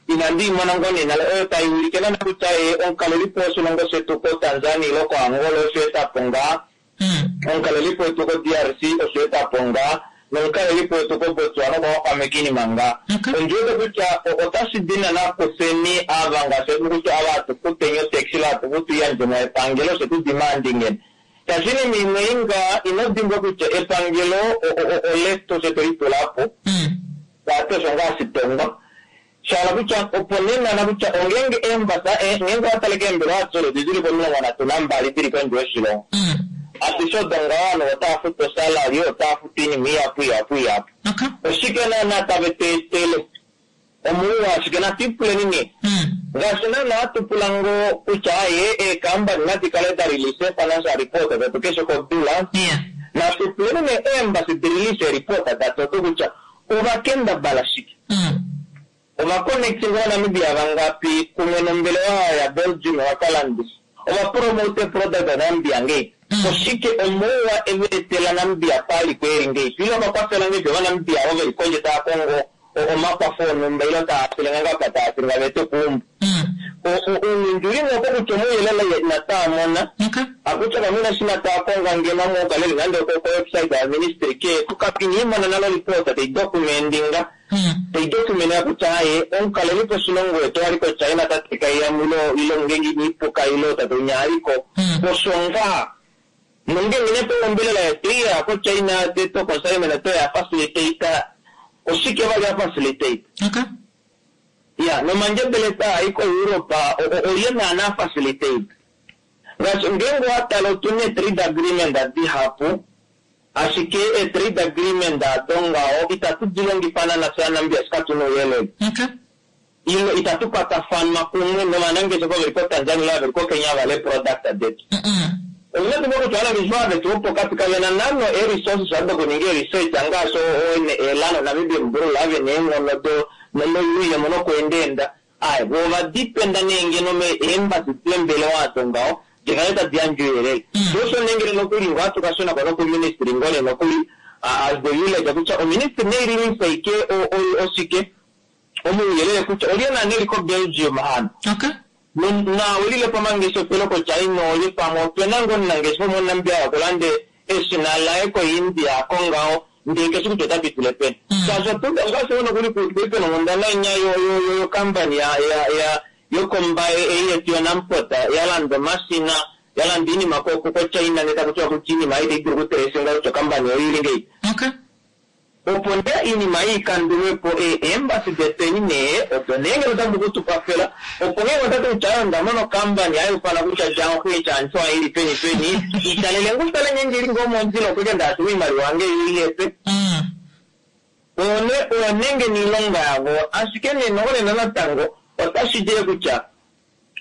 inandi imona ngoo nenale oyo tai ulike nana kutya ye omukalelipo woshilongo shetu koTanzania ilo koAngola osho etapo ngaa, omukalelipo wetu ko-D R C osho etapo ngaa, nomukalelipo wetu koBotswana okwa iinima ngaa. Ondiwete kutya otashi dina nakufeni ava ngaashi kutya ava hatukuteni otaxi la hatufutu iyandjemo yepangelo osho tu demanding. Shaashi iinima imwe inga ino dimbwa kutya epangelo oletu osho twelitulapo tate osho ngaa shitongwa. Shaala kutya opo nenana kutya ongenge embasa ngenge wataleke eembelewa adishe odo dili pomilongo nhatu nambali dili kondje yoshilongo. Adishe odo ngaho ovanhu otava futu osalary, otava futu iinima ihapu ihapu ihapu. Oshike naana tave tu etele? Omolwa ashike natu ipuleni nee. Ngaashi naana hatu pula ngoo kutya aye eekambani nadi kale da release financial report detu keshe kodula. Natu puleni nee eembasi di release ereport dado kutya ovakendabala shike. Ovaconnecting vaNamibia vangapi kumwe nombelewa ya Belgium vakalandisa. Ovapromote product yaNamibia ngei. Oshike omouwa eveetela Namibia pali kweli ngei. Ilo vakwafela ngei vaNamibia ovo veli kondje tava kongo omakwafo onhumba ilo tava filenga ngapa tava filenga vete kuumba. Uundjuli ngoko kutya omuuyelele inataamona. Akutya kamuna shi nataakonga ngeno mukaleli nande oko website ya ministry ke kukapini imona nalo report tai documentinga. Tai documenta kutya aye omukalelipo oshilongo wetu ali koChina tate kaiyamu ilo ilo ngenge iniipuka ilo tate unyaliko. Osho ngaa nongenge neto ombelela yetu iya koChina teto consignment to ya facilitate oshike vali ya facilitate. Ya, nomandjebele taa i koEurope olye naana facilitate. Ngaashi ngenge watala otuna trade agreement dihapu, ashike e-trade agreement ado ngaho itatu dilongifa naana fye aNamibia shi katuna ouyelele. Ilo itatu kwatafana kumwe novanangeshefa veli koTanzania ilo veli koKenya vale product detu. Omunatu kutya ovanangeshefa vetu vopokati kavena nano e-resources adokuninga e-research ngaashi elano Namibian Bureau ave neenghono do noyuuyemo nokweendeenda. Aye, vo ovadipenda nee ngeno meembassy deembelewa ado ngaho dikale tadi yandje ouyelele. Osho nengele nokuli ngo hatu kashuna ko nokuministry ngoo nee nokuli as the village kutya oministry neirelease ike oshike omuuyelele kutya olye naana eli koBelgium hano. Na olile pamangeshefelo koChina olye pamwe opena ngoo omunangeshefa omuNamibia wakulande eshina laye koIndia kongaho ndee keshi kutya ota pitile peni. Shaashi ngaashi nokuli kuli pena onghundana inya yokampani yokombaye ei yetu yoNamport yalanda omashina yalanda iinima koChina ndee takutiwa kutya iinima ei itayi dulu okuteresenga kutya okampani oyo ili ngei. Opo nee iinima ei ikandulwepo eembasi detweni nee odo nee ngeno otadi kutukwafela opo ngenge otati kutya onda mona okampani hayufana kutya Jianghui Chanchua ili peni peni italele ngu tale ngenge ili ngoo mondjila okweke ndaatuma iimaliwa yange yoiyepe. Oyo nenge niilonga yavo ashike nee nokonena natango otashi dile kutya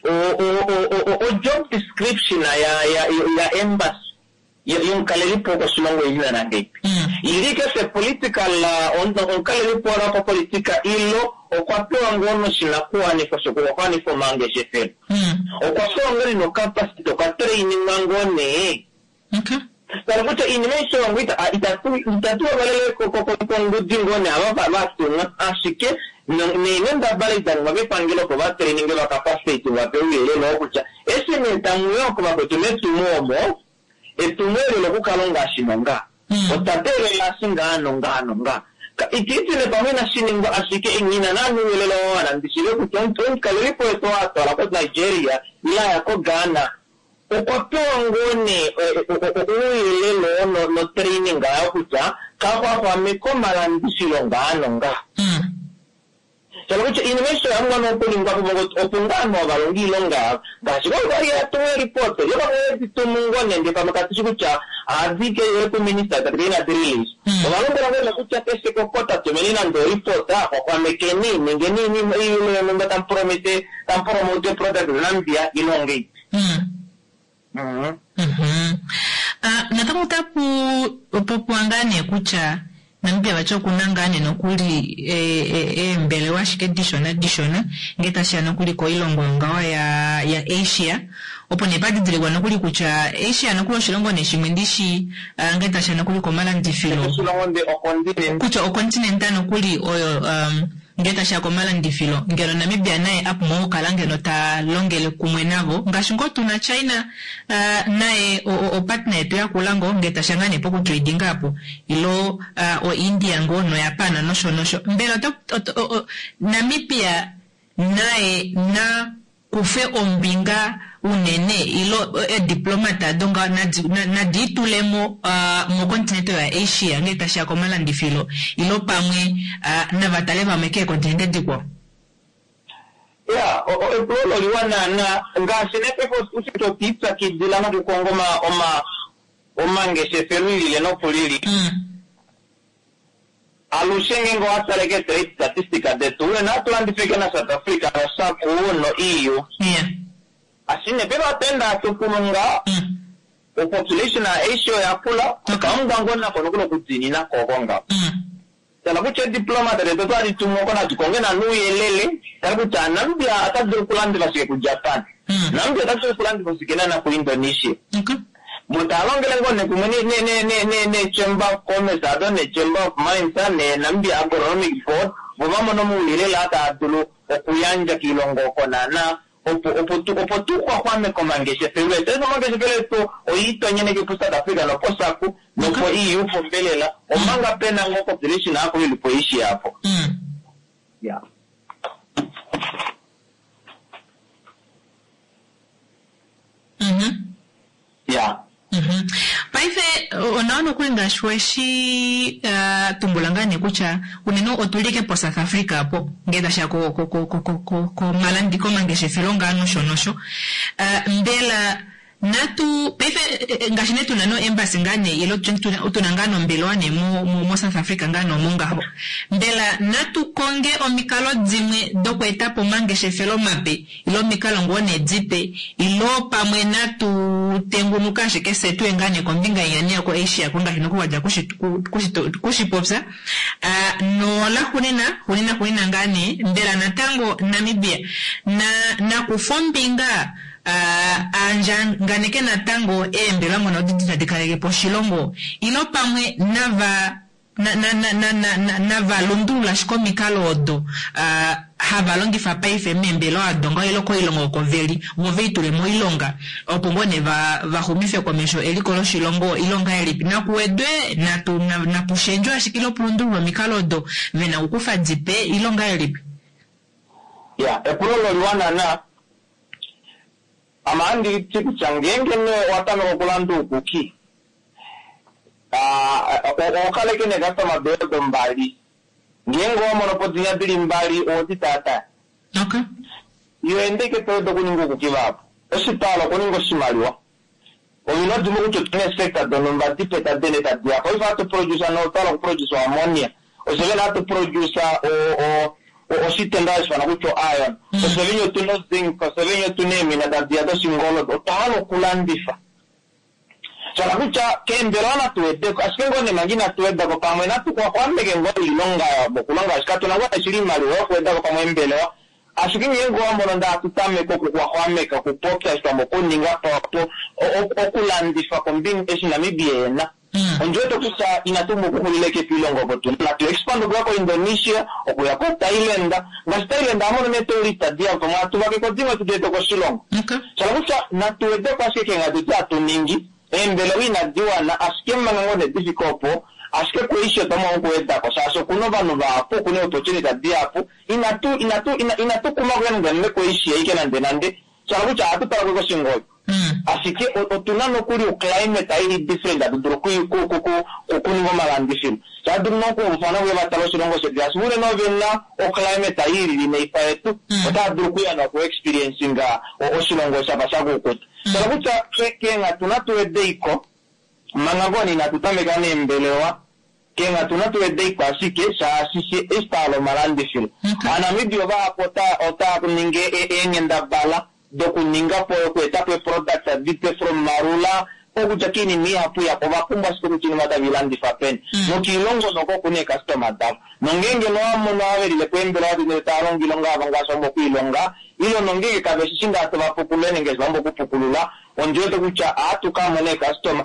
o job description ya ya ya embassy yomukalelipo koshilongo ili nana ngeipi. Ili keshe political omukalelipo wanapapolitika ilo okwa pewa ngoo noshinakuwanifwa shokuwanifa omangeshefelo. Okwa pewa ngoo nocapacity okwa trainingwa ngoo nee. Tala kutya iinima aishe wangu itatu valele kongudi ngoo nee ava vatumwa ashike Neenghendabala idaningwa kepangelo opo vatraininge vakapastate vape ouyelele oo kutya eshi nee tamuya oko vakwetu metumo omo etumo eli lokukalonga shinonga otwa teelela shingaa nongaa nongaa itiitile pamwe inashiningwa ashike ina nani ouyelele oo wana ndishile kutya omukalelipo wetu oo atwala ko-Nigeria ile aya ko-Ghana okwa pewa ngoo nee ouyelele oo notraining ayo kutya kaxwaxwameka omalandifilo ngaa nongaa. Shala kutya iinima aishe oya mwana okuningwa po opo ngaa ovanhu ovalonga iilonga yavo ngaashi kwali yatumu eripoti yo pamwe editumu ngoo nende pamwe katushi kutya ohadike kuminista tati inadi release ovalombwela ngoo kutya keshe kokota tumeni nande oripota xwaxwamekeni nenge niinima iilo yonumba tamu tamupromote product Namibia ilonge ipi. Natango otapu popiwa ngaa nee kutya Namibia vati okuna ngaa nee nokuli eembelewa ashike dishona dishona ngee tashiya nokuli koilongo yongaho ya ya Asia opo nee padidilikwa nokuli kutya Asia nokuli oshilongo nee shimwe ndishi ngee tashiya nokuli komalandifilo kutya okontinenta nokuli oyo um, ngee tashiya komalandifilo ngeno Namibia naye apumbwa okukala ngeno ta longele kumwe navo ngaashi ngoo tuna China uh, naye opartner yetu yakula ngoo ngee tashiya ngaa nee pokutradinga apo ilo uh, o India ngoo noJapan nosho nosho mbela oto, Namibia naye na kufe ombinga unene ilo ediplomata ado nga nadiitulemo uh, mokontinente ya Asia ngee tashiya komalandifilo ilo pamwe uh, navatale vamwe keekontinente dikwao. Ya epulo liwa naana ngaashi nepefo ushito otwiipyakidila nokukonga oma oma omangeshefelo ilile nokulili alushe ngenge owatale ke trade statistics detu unene atulandifike na South Africa noSACU no E U. Yeah. Ashine pepa atenda atukulunga population ya Asia oyakula okamumbwa ngoo nako nokuli okudinina koko nga. Tala kutya diplomat letu otwali tumoko natukonge nanu ouyelele tala kutya Namibia ota dulu okulandifa shike kuJapan. Namibia ota dulu okulandifa shike nana kuIndonesia. Mutalongele ngoo nekumwe ne Chamber of Commerce ado ne Chamber of Mines ne Namibia Agronomic Board vo vamone omauyelele aa dulu okuyandja kiilongo oko naana opo opo tu opo tuxwaxwameke omangeshefelo etu. Omangeshefelo etu oiitonyeneke po South Africa nopo SACU nopo E U pombelela omanga pena ngoo population apo ili po Asia apo. Yeah. Mhm. Yeah. Mhm. Paife onawa nokuli ngaashi weshi uh, tumbula ngaa nee kutya unene otulike po South Africa apo ngee tashiya ko ko ko ko ko komalandi komangeshefelo ngaa nosho nosho. Uh, mbela natu paife ngaashi nee tuna no embassy ngaa nee ilo tuna ngaa nombelewa nee mo, mo, mo South Africa ngaa nomo ngaho mbela natu konge omikalo dimwe dokweetapo omangeshefelo mape ilo omikalo ngoo nee dipe ilo pamwe natu tengunuka ashike fye tuye ngaa nee kombinga inya yoko Asia ko ngaashi nokuwadja kushipopya uh, nola xunina xunina xunina ngaa nee mbela natango Namibia na nakufa ombinga Uh, andjanganeke natango eembelewa ngono didi tadi kaleke po oshilongo ilo pamwe nava na na na na na, na, nava lundulula ashike omikalo odo uh, hava longifa paife meembelewa ado ngaho ilo koilongo oko veli vo veitule moilonga opo ngoo nee va vaxumife komesho eliko loshilongo ilonga elipi nakuwedwe natu napushendjwe ashike ilo pulundululwa omikalo odo vena okukufa dipe ilonga elipi. Ya epulo loliwa naana ama anditi kutya ngenge ne watameka okulanda uukuki okaleke ne customer base mbali ngenge wamono po dinya dili mbali owodi tata. Okay. Iyo endeke toyeda okuninga uukuki vapo oshitalo okuninga oshimaliwa ovina dimwe kutya otuna sector donumba dipe tadene tadiya paife hatu produce notwala okuproduce ammonia osevene hatu produce o oshitenda hashifana kutya iron osevene otuna zinc osevene otuna eemina tadiya doshingolo otwahala okulandifa shala kutya keembelewa natuwedeko ashike ngoo nemanga inatuwedako pamwe natuxwaxwameke ngoo iilonga yabo okulonga ashike katuna ngoo shili iimaliwa yokuwedako pamwe embelewa ashike ngenge wamono nda atutameke okuxwaxwameka okupopya shitwamba okuninga po okulandifa kombinga eshi Namibia ena Ondi wete kutya inatu pumbwa okuxulila eke piilongo opo tuna. Natu expand okuya koIndonesia, okuya koThailand. Ngaashi Thailand oha mono neetourist dihapu, pamwe hatu vakeko dimwe tu di ete koshilongo. Shala kutya natu wedeko ashike keenghatu edi hatu ningi, eembelewa inadi wana, ashike manga ngoo nee di fike opo, ashike kuAsia otwa pumbwa okuwedako shaashi okuna ovanhu vahapu, okuna eeopportunity dihapu. Inatu inatu inatu kuma okuya nande nande kuAsia ike nande nande, shala kutya ohatu tala ko koshingoli. Ashike otuna nokuli oclimate ili different hatu dulu okuninga omalandifilo. Ohatu dulu nokuufana okuya vatale oshilongo shetu shaashi unene ovena oclimate ilili neifa yetu, otava dulu okuya noku-experiencinga oshilongo shafa shakukuta. Shala kutya keenghatu natu wedeiko, manga ngoo nee inatu tameka neembelewa, keenghatu natu wedeiko ashike shaashi she eshi twahala omalandifilo. Aanamibia ovahapu otava ningi eenghendabala dokuninga po okueta po eproduct dipe from marula okudja kiinima ihapu ihapu ova pumbwa ashike kutya iinima otave ilandifa peni. Nokiilongo noko okuna eecustoma davo. Nongeenge nowamono ava velile po eembelewa detu ndele tava longo oilonga yavo ngaashi vapumbwa okuilonga, ile nongeenge kave shishi ngaa tovapukulule nenge eshi vapumbwa okupukulula, ondi wete kutya ohatu ka mona eecustoma.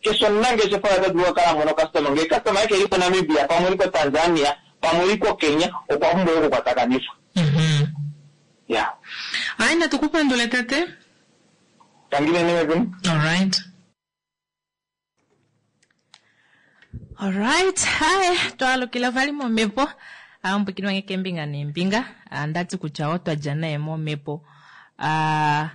Keshe omunangeshefa ota dulu okukala a mona ocustoma. Ngee customer yake ili koNamibia, pamwe ili koTanzania, pamwe ili koKenya, okwa pumbwa okukwatakanifwa. Ya. Hayi, natu ku pandule tate. Tangi nene mekulu. Alright. Alright, hi, twalukila vali momhepo. Ambwikini wange kembinga neembinga. Andati kutya otwa dja naye momhepo. Ah,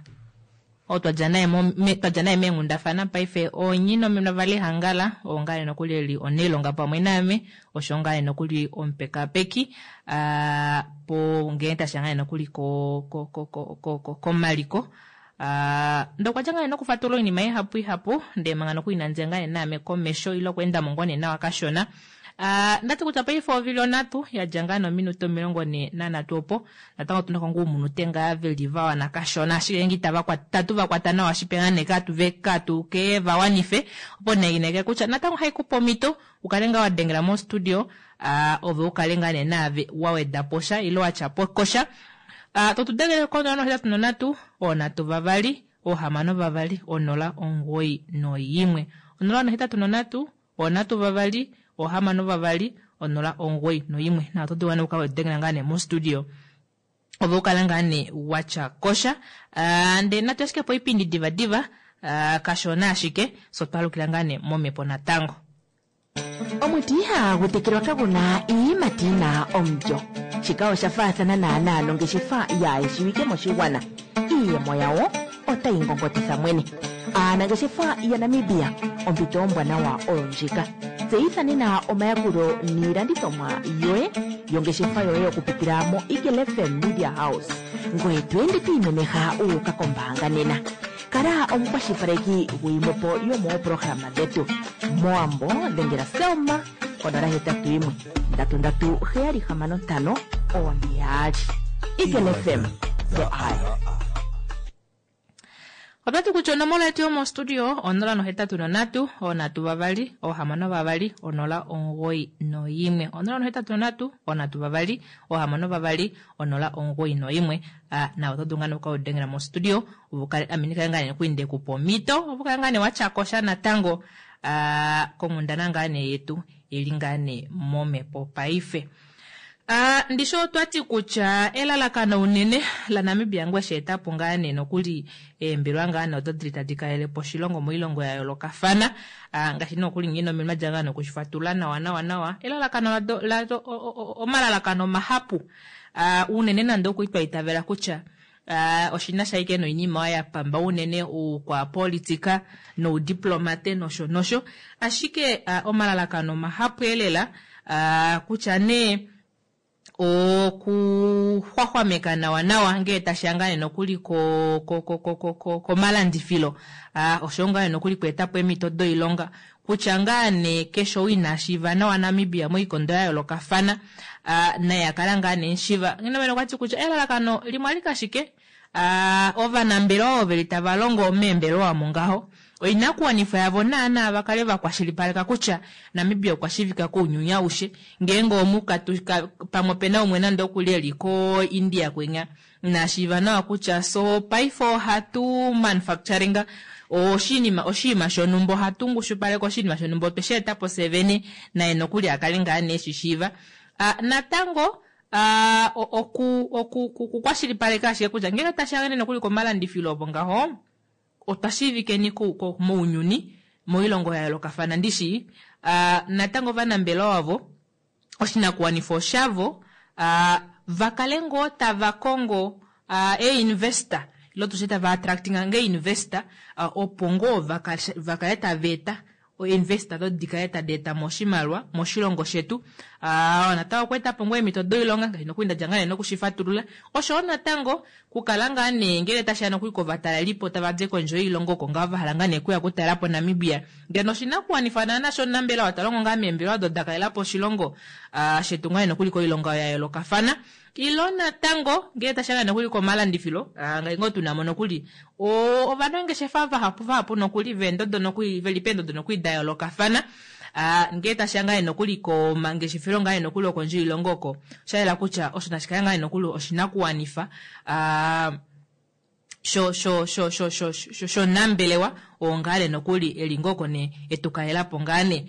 otwa dja naye twa dja naye meenghundafana paife onyina omena vali hangala ongale nokuli eli oneilonga pamwe naame osho ngale nokuli omupekapeki uh, po ngee tasha ngale nokuli ko ko ko ko ko ko komaliko uh, ndokwa dja ngale nokufatulula oinima ihapu ihapu ndee manga nokuli inandya ngale naame komesho ile okweenda mo ngoo nee nawa kashona. Uh, ndati kutya paife ovili onhatu yadja ngaa nominute omilongo nhee nanhatu opo natango otuna ko ngoo oumunute ngaa veli vawana kashona ashike nge itava tatu vakwata nawa shipe ngaa nee katu katu ke vawanife opo nee kutya natango haikupa omhito ukale ngaa wadengela mo studio uh, ove ukale ngaa nee naave waweda posha ile watya kosha uh, totudengele konola nohetatu nonhatu oonhatu vavali oohamano vavali onola omugoyi noyimwe onola nohetatu nonhatu oonhatu vavali oohamano vavali onola omugoyi noyimwe na oto dulu ukale wadengela ngaa nee mo studio ove ukala ngaa nee watya kosha uh, ndee natu ashike po oipindi diva diva uh, kashona ashike so twalukila ngaa nee momhepo natango. Omuti ihagu tekelwa kaguna iiyimati yina omulyo. Shika osha faathana naanaa nongeshefa yaayeshiwike moshigwana. Iiyemo yawo otayi ngongotitha mwene. Aanangeshefa yaNamibia, ompito ombwanawa oyo ndjika. Tseyitha nena omayakulo niilandithomwa yoye yongeshefa yoye okupitila mo Eagle F M Media House. Ngoye to ende to imemeha u uka kombaanga nena. Kala omukwashilipaleki guyimwepo yomooprograma dhetu. Moambo dhengela Selma konola hetatu yimwe ndatu ndatu heyali hamano ntano one yaali. Eagle F M, the eye. Otwati kutya onomola yetu yomostudio onola nohetatu nonhatu oonhatu vavali oohamano vavali onola omugoyi noyimwe onola nohetatu nonhatu oonhatu vavali oohamano vavali onola omugoyi noyimwe. Na oto dulu ngaa nee okudengela mostudio uvukale ame ndikale ngaa nee nokuli ndekupa omhito uvukale ngaa nee watya kosha natango konghundana ngaa nee yetu ili ngaa nee momhepo paife. Uh, ndisho otwati kutya elalakano unene la Namibia ngwe sheetapo ngaa nee nokuli eembelwa ngaa nee odo dili tadi kalele po oshilongo moilongo ya yoolokafana uh, ngaashi nokuli ngino ominwa dja ngaa nokushifatula nawa nawa nawa elalakano lado, lado, omalalakano mahapu uh, unene nande okuli itavela kutya Uh, oshina shaike noinima ya pamba unene ukwapolitika noudiplomate nosho nosho ashike uh, omalalakano mahapu elela uh, kutya nee okuxwaxwameka nawa nawa ngee tashiya ngaa nee nokuli ko ko ko ko ko komalandifilo uh, osho ngaa nee nokuli kweetapo eemhito doilonga kutya ngaa nee keshe ou ina shiiva nawa Namibia moikondo ya yoolokafana uh, naye akala ngaa nee nshiva ngeno okwati kutya elalakano limwe alike ashike uh, ovanambelewa ovo veli tava longo meembelewa mongaho oinakuwanifwa yavo naana vakale vakwashilipaleka kutya Namibia okwa shiivika kounyuni aushe ngeenge omukatu pamwe opena umwe nande okuli eli ko India kwenya nashiiva nawa kutya so paife ohatu manufacturing Oshinima oshinima shonhumba ohatu ngushupaleke oshinima shonhumba otwe shi eta po fye vene naye nokuli akale ngaa nee eshishiiva. Ah, natango ah, o- oku oku okukwashilipaleka ashike kutya ngenge tashi ya nokuli komalandifilo opo ngaho otwa shiivikeni ku- ku- mounyuni moilongo ya yoolokafana ndishi ah, natango ovanambelewa wavo oshinakuwanifwa oshavo ah, va kale ngoo tava kongo ah, einvestor ilo tushe tava attractinga nge investor ah, opo ngoo vaka- vakale tava eta oinvestor do dikale tadi eta mo oshimaliwa moshilongo shetu. Ah, natango okweeta po ngoo eemhito doilonga ngaashi nokuli ndadja ngaa nee nokushifatulula oshowo natango kukala ngaa nee ngele tashiya nokuli kovatalelipo tava di kondje yoilongo oko ngaa vahala ngaa nee kuya okutalela po Namibia ngeno oshinakuwanifwa naana shonambelewa talongo ngaa meembelewa odo da kalela po oshilongo ah, shetu ngaa nee nokuli koilonga ya yoolokafana ilo natango ngele tashiya ngaa nokuli komalandifilo ah, ngaashi ngoo tuna mo nokuli o- ovanangeshefa vahapu vahapu nokuli veendodo nokuli veli peendodo nokuli da yoolokafana Ah, ngele tashiya ngaa nee nokuli komangeshefelo ngaa nee nokuli okondje yoilongo oko oshayela kutya osho nashi kale ngaa nee nokuli oshinakuwanifa ah, sho sho sho sho sho sho shonambelewa oo ngaa nee nokuli eli ngoo nee etukalelapo ngaa nee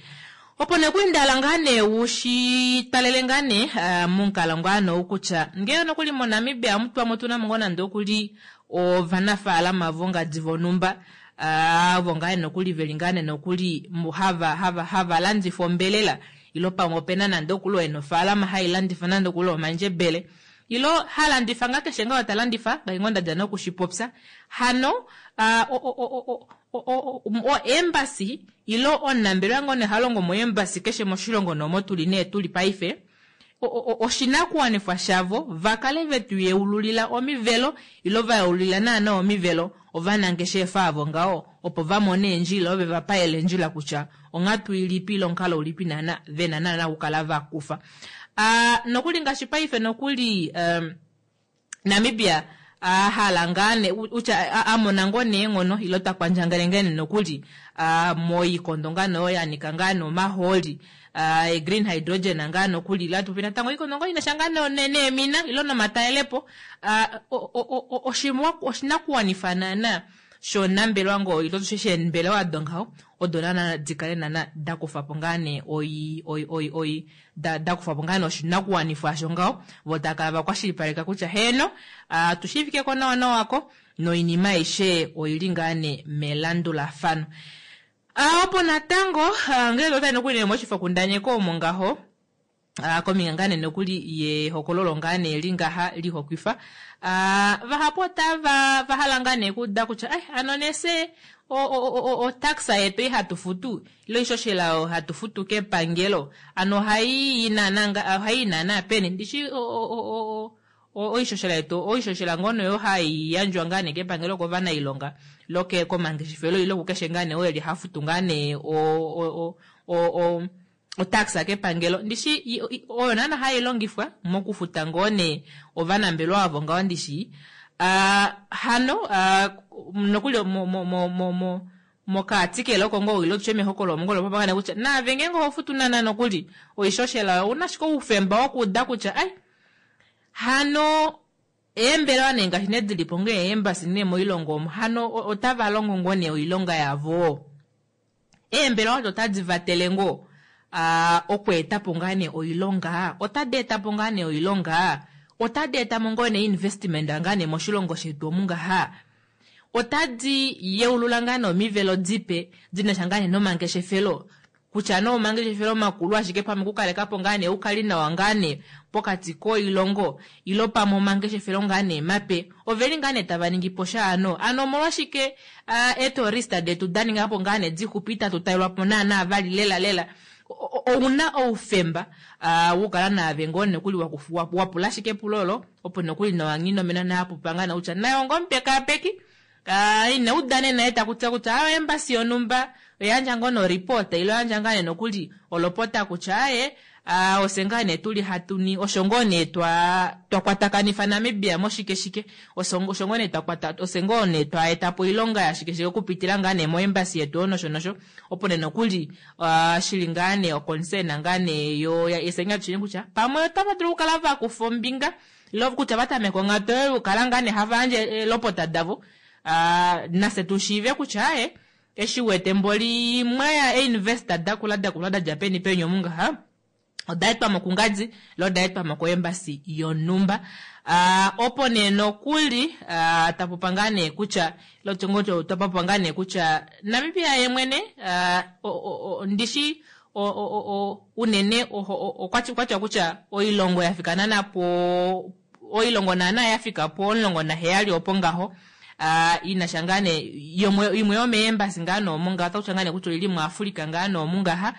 opo nokuli ndahala ngaa nee wushitalele ngaa nee ah, momukalo ngaa nee kutya ngele nokuli moNamibia omutwamo otuna mo ngoo nande okuli ovanafaalama vongadi vonhumba ah, ovo ngaa nee nokuli veli ngaa nee nokuli mu- hava hava hava landifa ombelela ilo pamwe opena nande okuli oo ena ofaalama hailandifa nande okuli omandjebele ilo halandifa ngaa keshe ngaa ta landifa ngaashi ngoo ndadja nokushipopya hano ah, o- o- o- o- o- o- o- o-embassy ilo omunambelewa ngoo nee halongo mo-embassy keshe moshilongo nomo tuli nee tuli paife o- o- oshinakuwanifwa shavo vakale vetu yeululila omivelo ilo vayeululila naana omivelo ovanangeshefa avo ngaho opo vamone eendjila ove vapayele eendjila kutya onghatu ilipi ilo omukalo ulipi naana vena naana okukala vakufa. Ah, nokuli ngaashi paife nokuli um, Namibia ahala ngaa nee utya a- amona ngoo neenghono ilo takwandjangele ngene nokuli ah, moikondo ngaa nee oyo yanika ngaa nee omahooli ah, e green hydrogen ngaa nokuli ila tupi natango oikondo ngoo inasha ngaa nee ne- neemina ilo nomatalelepo ah, o- o- o- oshimwa- oshinakuwanifa naana shonambelewa ngoo ilo tushe sheembelewa dongaho odo naana dikale naana dakufapo ngaa nee oi oi oi oi da dakufapo ngaa nee oshinakuwanifwa asho ngaho vo takala vakwashilipaleka kutya heeno ah, tushiivikeko nawa nawako noinima aishe oili ngaa nee melandulafano. Ah, opo natango ah, ngele otali nokuli nee moshifokundaneko omo ngaho ah, kombinga ngaa nee nokuli yehokololo ngaa nee lingaha lihokwifa ah, vahapu otava vahala ngaa nee kuuda kutya ai ano nese otaxa yetu ihatu futu ilo ishoshela oyo hatu futu kepangelo ano ohayi naana nga- ohayi naana peni ndishi o- o- o- o- oishoshela yetu oishoshela ngoo nee oyo hayi yandjwa ngaa nee kepangelo kovanailonga ilo ke komangeshefelo ilo kukeshe ngaa nee oo eli hafutu ngaa nee o- o- o- o- o- otaxa kepangelo ndishi i- i- oyo naana hayi longifwa mokufuta ngoo nee ovanambelewa avo ngaho ndishi ah, hano ah, nokuli mo- mo- mo- mo- mo- mokaatikele oko ngoo ilo tushe mehokolo omo ngoo popangane kutya naave ngeenge oho futu naana nokuli oishoshela ouna ashike oufemba wokuuda kutya ai hano eembelewa nee ngaashi nee dilipo ngee eembasi nee moilongo omo hano o- otava longo ngoo nee oilonga yavo eembelewa odo otadi vatele ngoo ah, okweetapo ngaa nee oilonga otadi etapo ngaa nee oilonga otadi etamo ngoo nee investment ngaa nee moshilongo shetu omu ngaha otadi yeulula ngaa nee omivelo dipe dinasha ngaa nee nomangeshefelo kutya nee omangeshefelo makulu ashike pamwe okukalekapo ngaa nee oukali nawa ngaa nee pokati koilongo ilo pamwe omangeshefelo ngaa nee mape oveli ngaa nee tava ningi po sha ano ano omolwashike ah, eetourista detu da ningapo ngaa nee dixupi itatu talelwapo naana vali lela lela O- o- ouna oufemba ah, wokukala naave ngoo nokuli wakufu- wa- wapula ashike epulo olo opo nokuli nowanginomena naapupa ngaa nee kutya naye ngoo omupekaapeki Ah, ina udane naye takutya kutya ayo embasi yonhumba oyandja ngoo noripota ilo yandja ngaa nee nokuli olopota kutya aye ah, ose ngaa nee tuli hatuni osho ngoo nee twa twakwatakanifa Namibia moshike shike osho osho ngoo nee twakwata ose ngoo nee twaetapo oilonga yashike shike okupitila ngaa nee moembasi yetu oyo nosho nosho opo nee nokuli ah, shili ngaa nee oconcern ngaa nee yo ya esenga tushini kutya pamwe otava dulu okukala vakufa ombinga ilo kutya vatameka onghatu oyo yokukala ngaa nee hava yandje eelopota davo Uh, nafye tu shiive kutya aye eshi wete mboli mwaya einvesta dakula dakula dadja peni peni omu ngaha odaetwamo kungadi lo odaetwamo koembasi yonhumba. Uh, opo nee nokuli uh, tapopa ngaa nee kutya lotongo tapopa ngaa nee kutya Namibia ye mwene uh, ndishi o, o, o, unene okwatya kutya oilongo yafika nana po oilongo nana yafika po omulongo naheyali opo ngaho uh, inasha ngaa nee imwe yomeembasi ngaa noomu ngaha otakutya ngaa nee kutya oili muAfrika ngaa noomu ngaha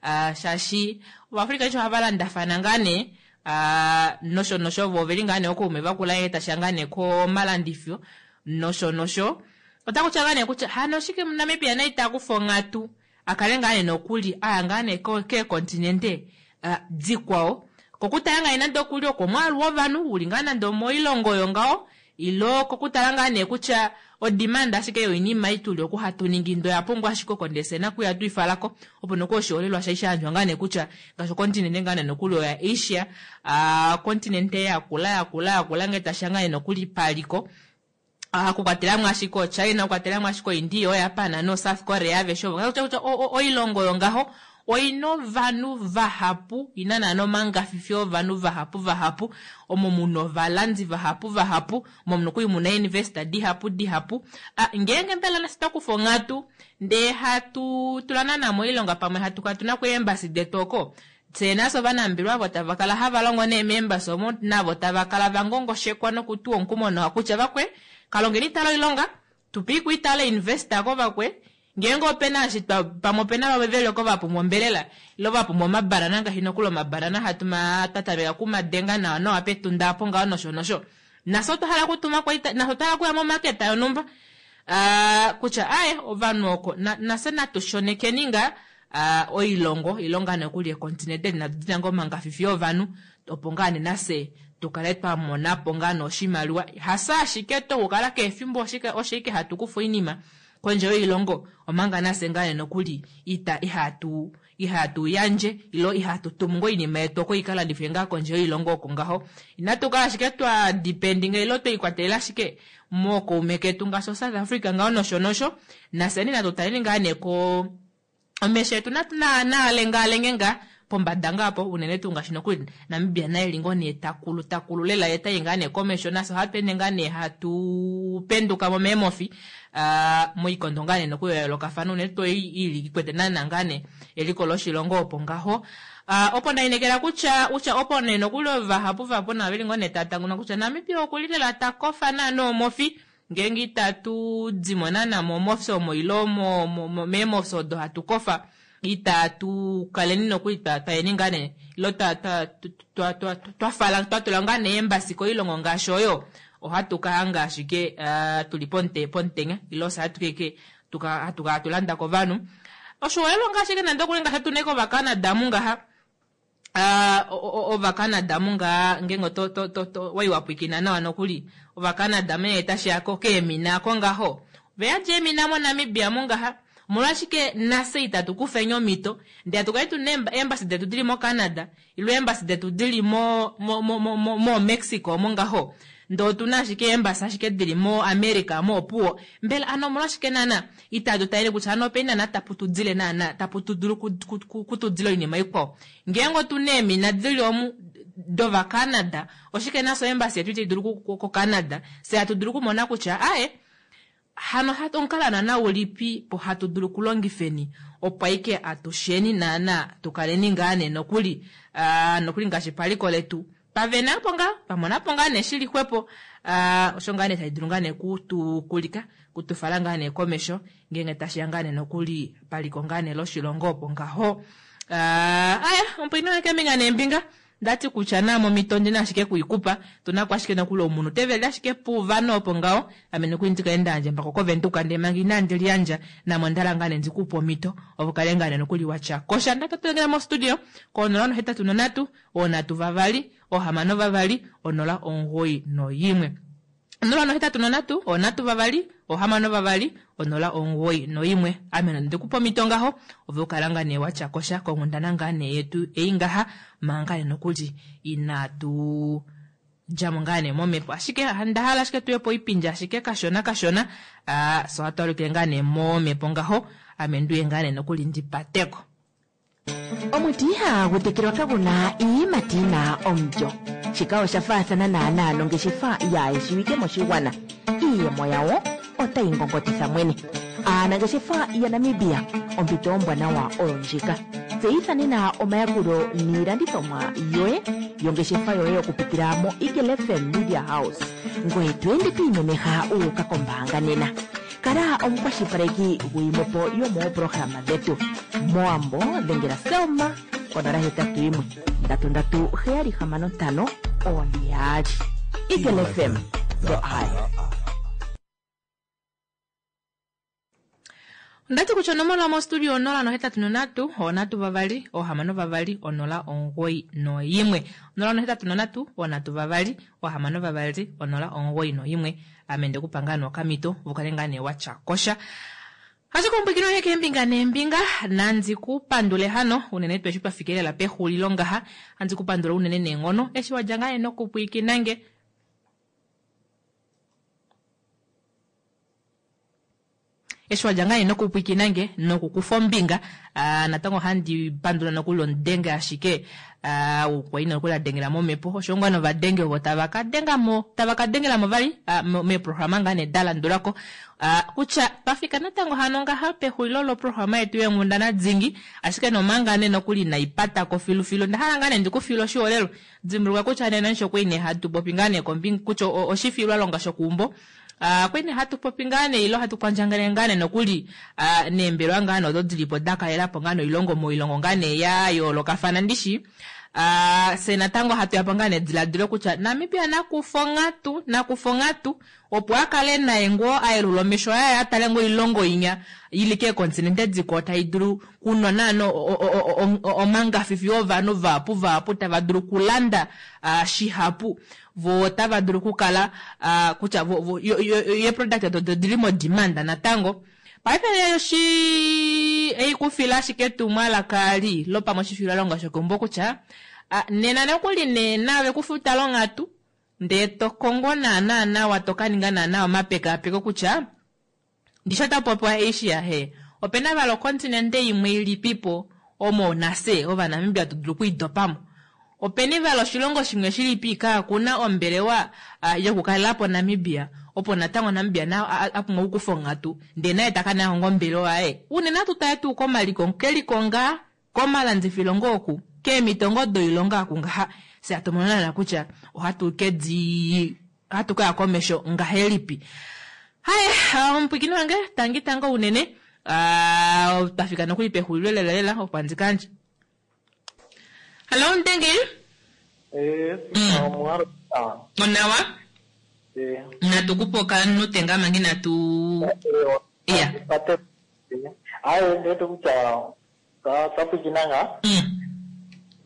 uh, shaashi ovaAfrika eshi ohava landafana ngaa nee uh, nosho nosho vo oveli ngaa nee okaume vakula etasha ngaa nee komalandifyo nosho nosho otakutya ngaa nee kutya hano oshike muNamibia naye itakufa onghatu akale ngaa nee nokuli aya ngaa nee keekontinente uh, dikwao kokutala ngaa nande okuli okomwaalu wovanhu uli ngaa nande omoilongo oyo ngaho ilo kokutala ngaa nee kutya odimanda ashike yoinima ituli oku hatu ningi ndo yapumbwa ashike okondesena kuya tuifalako opo noku oshiholelwa shai shayandjwa ngaa nee kutya ngaashi okontinente ngaa nee nokuli oya Asia uh, kontinente yakula yakula yakula ngee tasha ngaa nee nokuli paliko uh, kukwatelamo ashike oChina kukwatelamo ashike oIndia oJapan no South Korea aveshe ovo kutya kutya oilongo oyo ngaho oina ovanhu vahapu ina naana omangafifi ovanhu vahapu vahapu omo muna ovalandi vahapu vahapu omo nokuli muna investor dihapu dihapu. Ah, ngeenge mbela nasi twakufa onghatu ndee hatu tula naana moilonga pamwe hatu kala tuna kuembasi detu oko tse nafye ovanambelwa avo tava kala hava longo neemembasi omo navo tava kala vangongoshekwa nokutuwa omukumo nawa kutya vakwe kalongeni itala oilonga tupe kuitala investor ko vakwe ngeenge opena ashi pamwe opena vamwe veli oko vapumbwa ombelela ilo vapumbwa omabanana ngaashi nokuli omabanana hatu twatameka kumadenga nawa nawa petunda apo ngaho nosho nosho nafye otwahala kutuma nafye otwahala kuya momaketa yonhumba uh, kutya aye ovanhu oko nafye natu shonekeni nga uh, oilongo ilonga nokuli ekontinente natu dina ngoo omangafifi ovanhu opo ngaa nee nafye tukale twamonapo ngaa noshimaliwa hasa ashike tokukala keefimbo oshike hatu kufa oinima kondje yoilongo omanga nafye ngaa nee nokuli ita ihatu ihatu yandje ilo ihatu tumu ngoo oinima yetu oko ikalandifwe ngaa kondje yoilongo oko ngaho inatu kala ashike twa dependinga ilo tweikwatelela ashike mookaume ketu ngaashi oSouth Africa ngaho nosho nosho nafyeni natu taleni ngaa nee ko omesho etu natu naalengaalenge ngaa pombada ngaa po unene tuu ngaashi nokuli Namibia naye li ngoo nee takulu takulu lela ye tayi ngaa nee komesho nafye ohatu ende ngaa nee hatu penduka mo meemofi uh, moikondo ngaa nee nokuli ya yoolokafana unene tuu ili ikwete naana ngaa nee eliko loshilongo opo ngaho. Uh, opo ndainekela kutya kutya opo nee nokuli ovahapu vahapu navo veli ngoo nee tatanguna kutya Namibia okuli lela takofa naana omofi ngeenge itatu dimo naana momofi omo ilo meemofi odo hatu kofa itatu kaleni nokuli twayeni ngaa nee ilo twafala twatula ngaa nee embasi koilongo ngaashi oyo ohatu kahanga ashike uh, tuli ponte pomutenya ilo fye hatu keke hatu kala tulanda kovanhu oshiholelwa ngaashi ke nande okuli ngaashi hatune kovaCanada mungaha uh, ovaCanada mungaha ngeenge to to to to waiwapwikina nawa nokuli ovaCanada mee tashiya keemina ako ngaho veyadja eemina moNamibia mungaha omolwashike nafye itatu kufeni omhito ndee hatukale tuna eembasi detu dili moCanada ilo eembasi detu dili mo mo mo mo mo Mexico omo ngaho ndee otuna ashike eembasi ashike dili moAmerica moopuwo mbela ano omolwashike naana itatu talele kutya ano openi naana tapu tudile naana tapu tudulu kutudila oinima ikwao ngeenge otuna eemina dili omu dovaCanada oshike nafye oembasi yetu itayi dulu koCanada fye hatu dulu okumona kutya aye hano omukalo naana ulipi po hatu dulu okulongifeni opo aike atusheni naana tukaleni ngaa nee nokuli uh, nokuli ngaashi paliko letu pavena apo ngaa pamonapo ngaa nee shili xwepo uh, osho ngaa nee tashi dulu ngaa nee kutukulika kutufala ngaa nee komesho ngeenge tashiya ngaa nee nokuli paliko ngaa nee loshilongo opo ngaho. Uh, aya omupwini wange neembinga ndati kutya na momito ndina ashike kuikupa tunako ashike nokuli omunhu teveli ashike puvanhu opo ngaho ame nokuli ndikaenda yandje mbako kovenduka ndee manga inandi liyandja namo ndala ngaa nee ndikupe omhito opo kale ngaa nee nokuli watya kosha ndatotengela mostudio konola nohetatu nonhatu oonhatu vavali ohamano vavali onola omugoyi noyimwe onola nohetatu nonhatu oonhatu vavali ohamano vavali onola omugoyi noyimwe ame ndikupa omhito ngaho ove ukala ngaa nee watya kosha konghundana ngaa nee yetu ei ngaha manga nee nokuli inatu djamo ngaa nee momhepo. Ashike onda hala ashike tuye poipindi ashike kashona kashona, uh, so hatu alukile ngaa nee momhepo ngaho, ame nduye ngaa nee nokuli ndipateko. Omuti ihagu tekelwa kaguna iiyimati yina omulyo. Shika osha faathana naanaa nongeshefa yaayeshiwike moshigwana. Iiyemo yawo otayi ngongotitha mwene. Aanangeshefa yaNamibia, ompito ombwanawa oyo ndjika. Tseyitha nena omayakulo niilandithomwa yoye yongeshefa yoye okupitila mo Eagle F M Media House. Ngoye to ende to imemeha u uka kombaanga nena. Kala omukwashilipaleki gwiimwepo yomooprograma dhetu. Moambo dhengela Selma konola hetatu yimwe ndatu ndatu heyali hamano ntano one yaali. Eagle F M, the eye. Ondati kutya onomola mostudio onola nohetatu nondatu, oonatu vavali, oohamano vavali, onola omugoyi noyimwe. Onola nohetatu nondatu, oonatu vavali, oohamano vavali, onola omugoyi noyimwe. Ame ndekupa ngaa nookamito, vukale ngaa nee watya kosha. Ashike ompwikino yoye keembinga neembinga, nandi ku pandule hano, unene tuu eshi twa fikelela pexulilo ngaha, handi ku pandula unene neenghono, eshi wadja ngaa nee nokupwiikina nge. Eshi wadja ngaa nee nokupwiikina nge, nokukufa ombinga, ah, natango handi pandula nokuli omudenge ashike, ah, okwa ina nokuli adengela momhepo, osho ngoo novadenge ovo tava ka denga mo, tava ka dengela mo vali, ah, mo-, meeprograma ngaa nee da landulako. Ah, kutya twafika natango hano ngaha pexulilo loprograma yetu yeenghundana dingi, ashike nomanga nee nokuli inaipatako filufilu, onda hala ngaa nee ndikufile oshiholelwa. Dimbuluka kutya nena nisho kwali nee hatu popi ngaa nee kombinga kutya o-, oshifilwalonga shokuumbo. Ah, kwali nee hatu popi ngaa nee ilo hatu kwandjangele ngaa nee nokuli, ah, neembelwa ngaa nee odo dilipo da kalelapo ngaa nee oilongo moilongo ngaa nee ya yoolokafana ndishi. Ah, se natango hatu yapo ngaa nee ediladilo kutya Namibia nakufa onghatu, nakufa onghatu, opo a kale naye ngoo a yelula omesho aye a tale ngoo oilongo inya ili keekontinente dikwawo tai dulu kunwa naana o-, o-, o-, o-, o-, omangafifi ovanhu vahapu vahapu tava dulu kulanda, ah, shihapu, vo otava dulu okukala, ah, kutya vo, vo, yo, yo, yo, ye product odo dili mo demand natango. Paife oshi eikufila ashike etumwalaka li lopamwe oshifilwalonga shokeumbo kutya, ah, nena nokuli nena ve kufuta longhatu, ndee to kongo naana nawa, to ka ninga naana omapekapeko kutya, ndisho ta popiwa Asia he, opena valo kontinente imwe ilipipo omo nase Ovanamibia tu dulu okwiidopamo. Openi valo oshilongo shimwe shilipi kaakuna ombelewa, ah, yokukalelapo Namibia, opo natango Namibia na, a, a, a pumbwa okukufa onghatu, ndee naye taka nayo ombelewa yaye. Unene atu tale tuu komaliko, keliko ngaa, komalandifilo ngoo oku, keemito ngoo doilonga oku ngaha. Se hatu mono naana kutya ohatu ke di, ohatu ka ya komesho ngahelipi. Haye, ah, omupwikini wange, tangi tango unene. Ah, twa fika nokuli pexulilo lela lela, opo handi kandje. Hello, Ndenge. Eh, Mm. omuhalo. Ah. Onawa? Eh. Natu kupoka nutenga mangi natu Eh, Iya. Pate. Aye, ndeto kutya ta tapwikinanga. Mm.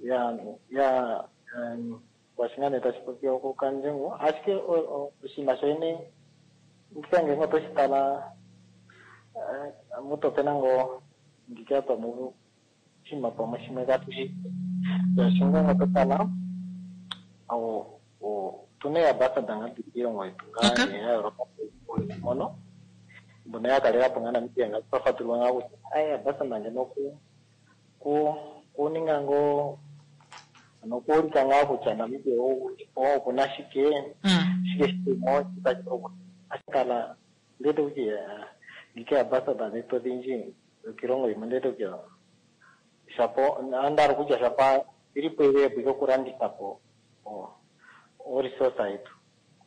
Ya, ya, um, kwashingane tashipopiwa okukandjengo. Ashike o-, o-, oshinima shoyene ngikange ngo toshitala, eh, mutopena ngo ngika pamwe oshinima pamwe shimwe katushi. Yashinga ngo totala, o, o, tune ya ambassador nga kiilongo yetu nga Okay. ya Europa mono. Mbono ya kalelapo nga Namibia nga twafatulwa nga kutya, aye, ambassador ngeno ku, ku, kuninga ngo, nokuulika ngaa kutya Namibia oku na shike, Mm. shike shimo, ashikala ndete kutya, ngike ambassador dhetu odhindji dhokiilongo yimwe ndete kutya shapo, andalo kutya shapa ilipo ile yetu yokulanditha po o, o resource yetu.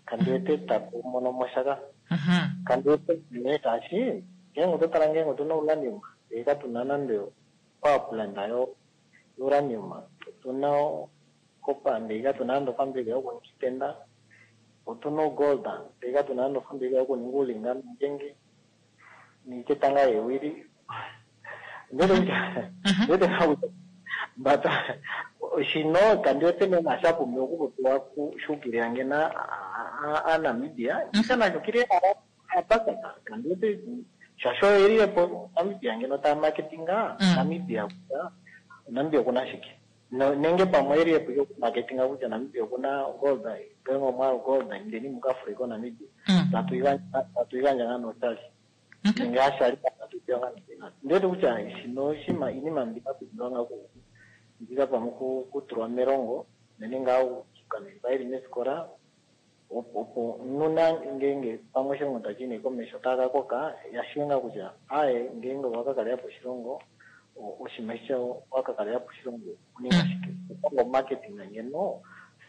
Kandi wete taku mono moshaka. Mhm. Kandi wete ne tashi, ngenge ototala ngenge otuna uranium, eka tuna nande power plant yo uranium, otuna copper, eka tuna nande ofambika yokuninga, otuna gold, eka tuna nande ofambika yokuninga ulinga ngenge niketanga yewili. Ndete kutya, ndete kutya, but shino kandi wete nena shapumbiwa okupopiwa kushukilila ngena a Namibia, shana shukilila abasada, kandi wete shasho elilepo Namibia ngeno ta marketinga Mm. Namibia kutya Namibia kuna shike. No- nenge pamwe eli epu yokumaketinga kutya Namibia okuna gold ngenge omwaalu gold indeni muka Afrika Namibia tatu igandja tatu igandja ngaa noshali nenge hashali tatu pewa ngaa noshali ndiwete kutya shino oshinima iinima mbika pumbiwa ngaa ku mbika pamwe ku- kutulwa melongo unene ngaa okukamemba yeli mesikola opo opo nuna ngenge pamwe oshilongo tashi yi nee komesho taka koka yashiwe ngaa kutya aye ngenge owaka po oshilongo o- oshinima eshi waka kalela po oshilongo okuninga shike okongo marketing ngeno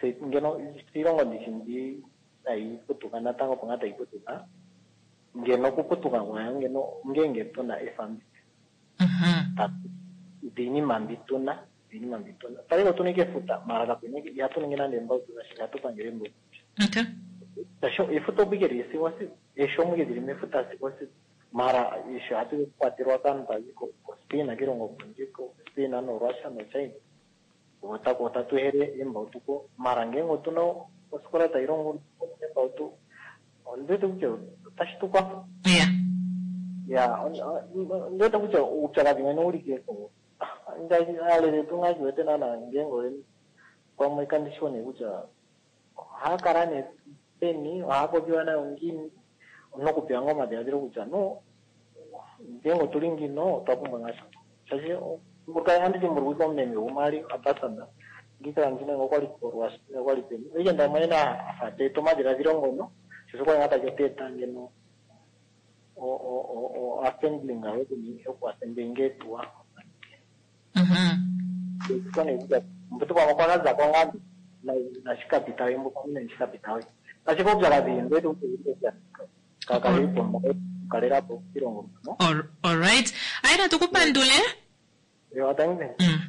se- ngeno iilongo ndishi mbi tayi putuka natango opo ngaa tayi putuka ngeno okuputuka kwayo ngeno ngenge tuna efambi dhiinima mbi tuna dhiinima mbi tuna taliko tuna ike efuta mara kapena ihatu ningi nande embautu nasha ihatu pangele embautu Okay. Tasho efuta opo ike lili sigo osiku eeshi omo ike dhili mefuta sigo osiku mara eeshi ohatu kwatelwa kaantu tazi ko koSpain kiilongo kondje koSpain noRussia noChina otako otatu hele embautu ko mara ngenge otuna osikola tayi longo embautu ondiwete kutya otashi tu kwatha Yeah. ya ondiwete kutya uupyakadhi mwene uli keko alele tungachiwete nana ngenge oyeni pamwe kandi shi nee kutya ohaya kala nee peni ohaya popiwa nayo ngiini nokupewa ngaa omadhiladhilo kutya no ngenge otuli ngino otwa pumbwa ngaa sha shaashi andi dhimbulukwa omumeme gumwe ali ambassador ngikala ndina okwali korwasi okwali peni oike ndamwene afa teeta omadhiladhilo ngono shosho kwali ngaa tashi oteeta ngeno o- o- o- o assembling yokuassemblinga etuwa mbuto pamwe kwakazako ngaa nashikapitawe mbo pamwe nashikapitawe ashike uupyakadhi ndiwete kutya kakalipo kukalelapo oshilongo All, all right. Aye, natu kupandule. Ewa, thank you. Mm.